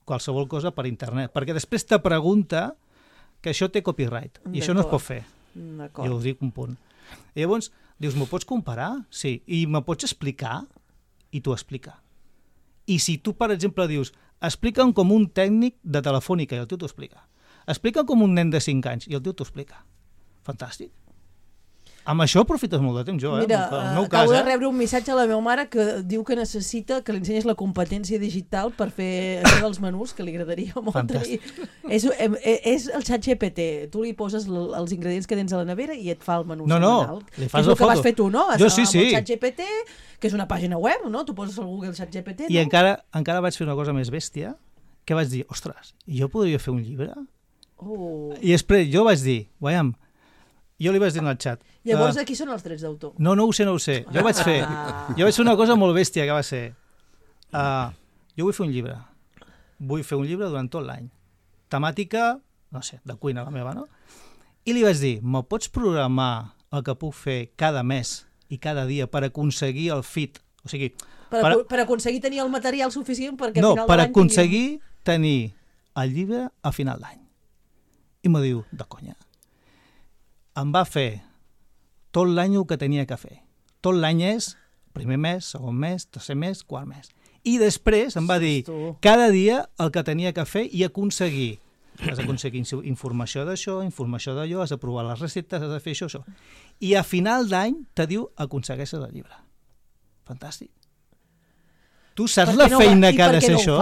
qualsevol cosa per internet, perquè després te pregunta que això té copyright, i això no es pot fer. Jo us dic un punt. I llavors, dius, m'ho pots comparar? Sí. I me pots explicar? I t'ho explica. I si tu, per exemple, dius, explica'm com un tècnic de telefònica, i el tio t'ho explica. Explica'm com un nen de cinc anys, i el tio t'ho explica. Fantàstic. Amb això aprofites molt de temps, jo, eh? Mira, el meu acabo cas, de eh? rebre un missatge a la meva mare que diu que necessita que li ensenyes la competència digital per fer això dels menús, que li agradaria molt. Fantàstic. És, és el xat G P T. Tu li poses els ingredients que tens a la nevera i et fa el menú no, no, semanal. li fas és la el que foto. vas fer tu, no? Jo sí, sí. Amb el xat G P T, que és una pàgina web, no? Tu poses al Google xat G P T, no? I encara, encara vaig fer una cosa més bèstia, que vaig dir, ostres, jo podria fer un llibre? Oh. I després jo vaig dir, veiem, jo li vaig dir en el xat. Llavors, uh, aquí són els drets d'autor. No, no ho sé, no ho sé. Jo vaig fer, jo vaig fer una cosa molt bèstia, que va ser, uh, jo vull fer un llibre. Vull fer un llibre durant tot l'any. Temàtica, no sé, de cuina la meva, no? I li vaig dir, me pots programar el que puc fer cada mes i cada dia per aconseguir el fit? O sigui, Per, per, per aconseguir tenir el material suficient perquè no, al final per de l'any aconseguir tinguem... tenir el llibre a final d'any. I me diu, de conya. Em va fer tot l'any el que tenia que fer. Tot l'any és primer mes, segon mes, tercer mes, quart mes. I després em va dir cada dia el que tenia que fer i aconseguir. Has d'aconseguir informació d'això, informació d'allò, has de provar les receptes, has de fer això, això. I a final d'any te diu aconsegueixes el llibre. Fantàstic. Tu saps la no, feina que ha de no ser això?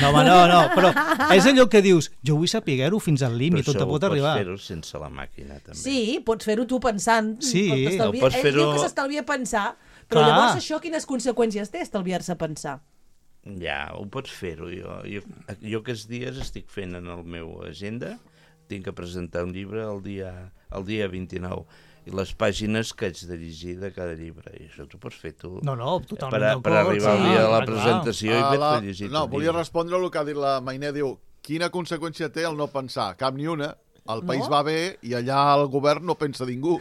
No, home, no, no, però és allò que dius, jo vull saber-ho fins al límit, tot te pot arribar. Però això ho pots fer-ho sense la màquina, també. Sí, pots fer-ho tu pensant. Sí, no, pots ell fer-ho... diu que s'estalvia pensar, però Clar. llavors això quines conseqüències té, estalviar-se pensar? Ja, ho pots fer-ho. Jo, jo, jo aquests dies estic fent en el meu agenda, tinc que presentar un llibre el dia, el dia vint-i-nou, i les pàgines que haig de llegir de cada llibre, i això t'ho pots fer tu. No, no, totalment per, a, per arribar al sí, dia de la clar. presentació i Ah, haver-te la... llegit. No, volia respondre el que ha dit la Mainé, diu, quina conseqüència té el no pensar? Cap ni una. El país No? va bé i allà el govern no pensa ningú.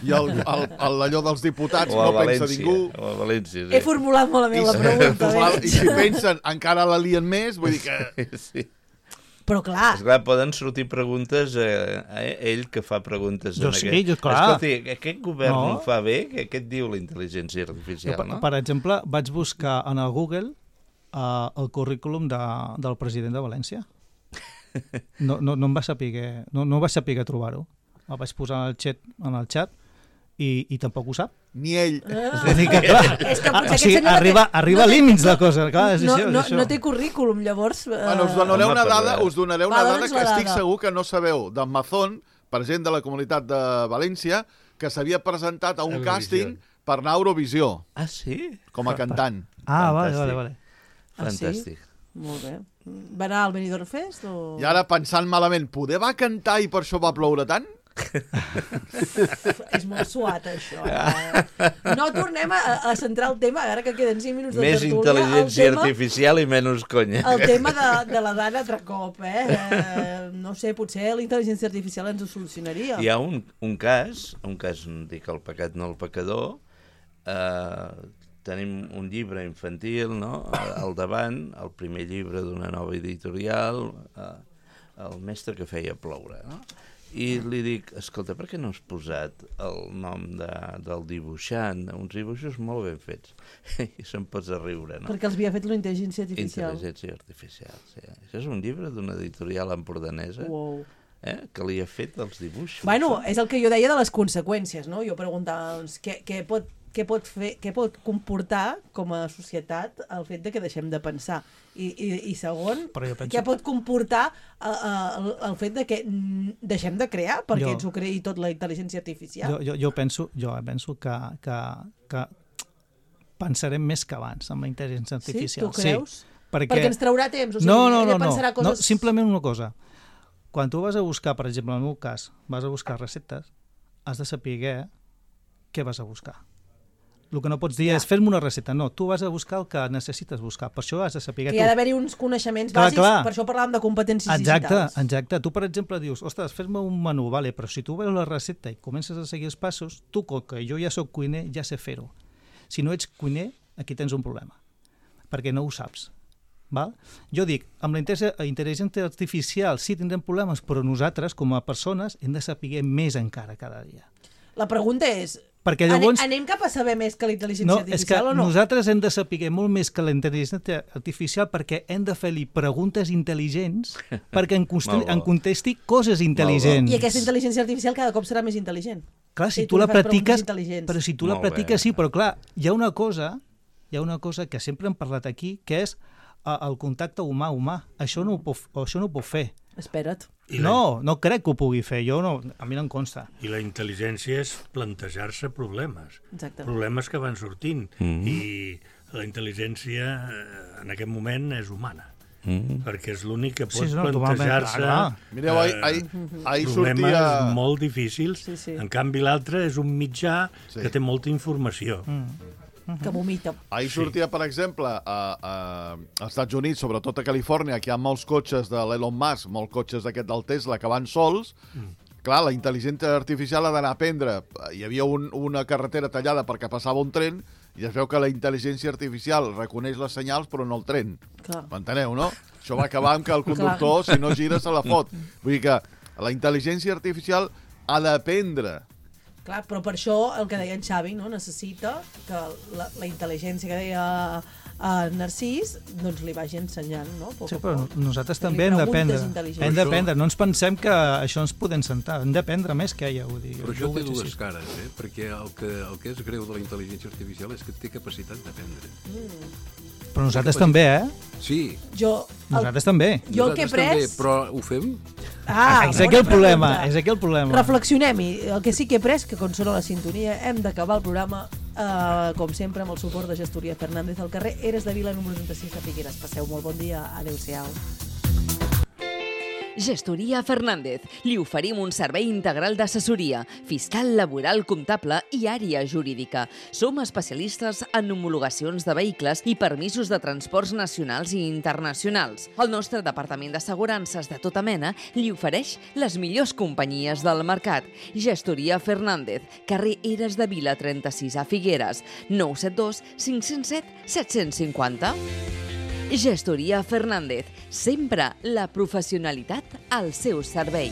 I el, el, el, allò dels diputats O a no pensa València, ningú. o a València, sí. He formulat malament la pregunta. I, eh? I si pensen, encara la lien més, vull dir que... Sí. Però clar... Esclar, poden sortir preguntes a, a ell que fa preguntes Jo en sí, aquest. jo, clar. Escolti, aquest govern No. no ho fa bé? Què, què et diu la intel·ligència Jo, artificial, per, no? per exemple, vaig buscar en el Google uh, el currículum de, del president de València. No, no, no em va saber, no, no va saber trobar-ho. El vaig posar en el xat, en el xat i, i tampoc ho sap. Ni ell. Ah. És a dir que, clar, És que ah, potser o sigui, aquest senyor arriba, no té- arriba no a té- límits la cosa. Clar, és no, això, no, és això. no té currículum, llavors... Eh... Bueno, us donaré Home, una per dada, res. us donaré una Va, dada dona'ns que la estic dada. segur que no sabeu. D'en Mazón, president de la Comunitat de València, que s'havia presentat a un Eurovisió. càsting per anar a Eurovisió, Ah, sí? com a cantant. Ah, vale, Fantàstic. vale, vale. Ah, sí? Fantàstic. Molt bé. Va anar al Benidorm Fest o...? I ara, pensant malament, poder va cantar i per això va ploure tant? És molt suat, això. Eh? No tornem a, a centrar el tema, ara que queden cinc minuts de Més tertúlia. intel·ligència el tema, artificial i menys conya. El tema de, de la Dana altre cop, eh? eh? No sé, potser la intel·ligència artificial ens ho solucionaria. Hi ha un, un cas, un cas, dic el pecat no el pecador, eh, tenim un llibre infantil, no?, al davant, el primer llibre d'una nova editorial, eh, el mestre que feia ploure, no? I li dic, escolta, per què no has posat el nom de, del dibuixant? Uns dibuixos molt ben fets. I se'n pots a riure, no? Perquè els havia fet la intel·ligència artificial. Intel·ligència artificial, sí. Això és un llibre d'una editorial empordanesa, Wow. eh, que li ha fet els dibuixos. Bueno, és el que jo deia de les conseqüències, no? Jo preguntava, doncs, què, què, pot, què, pot fer, què pot comportar com a societat el fet de que deixem de pensar? I, i, i segon, Però jo penso- què pot comportar uh, uh, el, el fet de que mm, deixem de crear perquè Jo- ens ho creï tot la intel·ligència artificial? Jo, jo, jo penso, jo penso que, que, que pensarem més que abans amb la intel·ligència Sí? artificial. Tu creus? Sí, perquè... Perquè ens traurà temps, o sigui, no, no, ella no, no, pensarà no, coses... simplement una cosa. Quan tu vas a buscar, per exemple, en el meu cas, vas a buscar receptes, has de saber què vas a buscar. El que no pots dir ja. és fer-me una recepta. No, tu vas a buscar el que necessites buscar. Per això has de saber... Que hi ha d'haver-hi uns coneixements clar, bàsics, clar. Per això parlàvem de competències exacte, digitals. Exacte. Tu, per exemple, dius, ostres, fes-me un menú, vale, però si tu veus la recepta i comences a seguir els passos, tu, com que jo ja sóc cuiner, ja sé fer-ho. Si no ets cuiner, aquí tens un problema, perquè no ho saps. Val? Jo dic, amb la intel·ligència artificial sí tindrem problemes, però nosaltres, com a persones, hem de saber més encara cada dia. La pregunta és... Perquè llavors... Anem cap a saber més que la intel·ligència no, artificial o no? Nosaltres hem de saber molt més que la intel·ligència artificial perquè hem de fer-li preguntes intel·ligents perquè en, en contesti coses intel·ligents. I aquesta intel·ligència artificial cada cop serà més intel·ligent. Clar, si, si tu, tu la practiques... Però si tu la practiques, sí, però clar, hi ha una cosa, hi ha una cosa que sempre hem parlat aquí, que és el contacte humà-humà. Això no ho pot, això no ho pot fer. Espera't. No, no crec que ho pugui fer, jo no, a mi no em consta. I la intel·ligència és plantejar-se problemes, exacte. Problemes que van sortint, mm-hmm. i la intel·ligència en aquest moment és humana, mm-hmm. perquè és l'únic que pot sí, no, plantejar-se Mireu, ahir, ahir, ahir problemes sortia... molt difícils, sí, sí. En canvi l'altre és un mitjà sí. que té molta informació. Mm. Que vomita. Ahir sortia, per exemple, a, a, als Estats Units, sobretot a Califòrnia, que hi ha molts cotxes de l'Elon Musk, molts cotxes d'aquest del Tesla, que van sols. Mm. Clar, la intel·ligència artificial ha d'anar a aprendre. Hi havia un, una carretera tallada perquè passava un tren i es veu que la intel·ligència artificial reconeix les senyals però no el tren. M'enteneu, no? Això va acabar amb que el conductor, si no gira, se la fot. Vull dir que la intel·ligència artificial ha d'aprendre. Clar, però per això el que deia en Xavi, no? Necessita que la, la intel·ligència que deia uh, Narcís doncs li vagi ensenyant, no? Poc sí, però nosaltres també hem d'aprendre. Hem d'aprendre, no ens pensem que això ens podem sentar, hem d'aprendre més que ella, ho dic. Però això té dues cares, eh? Perquè el que, el que és greu de la intel·ligència artificial és que té capacitat d'aprendre. Mm. Però nosaltres també, eh? Sí. Jo, el... Nosaltres també. Jo el que he pres... També, però ho fem? Ah, és aquí el problema, és aquí el problema. Reflexionem-hi. El que sí que he pres, que quan sona la sintonia, hem d'acabar el programa, eh, com sempre, amb el suport de Gestoria Fernández al carrer Eres de Vila, número trenta-sis de Figueres. Passeu molt bon dia. Adéu-siau. Gestoria Fernández. Li oferim un servei integral d'assessoria, fiscal, laboral, comptable i àrea jurídica. Som especialistes en homologacions de vehicles i permisos de transports nacionals i internacionals. El nostre departament d'assegurances de tota mena li ofereix les millors companyies del mercat. Gestoria Fernández, carrer Eres de Vila trenta-sis a Figueres, nou set dos cinc zero set set cinc zero. Gestoria Fernández, sempre la professionalitat al seu servei.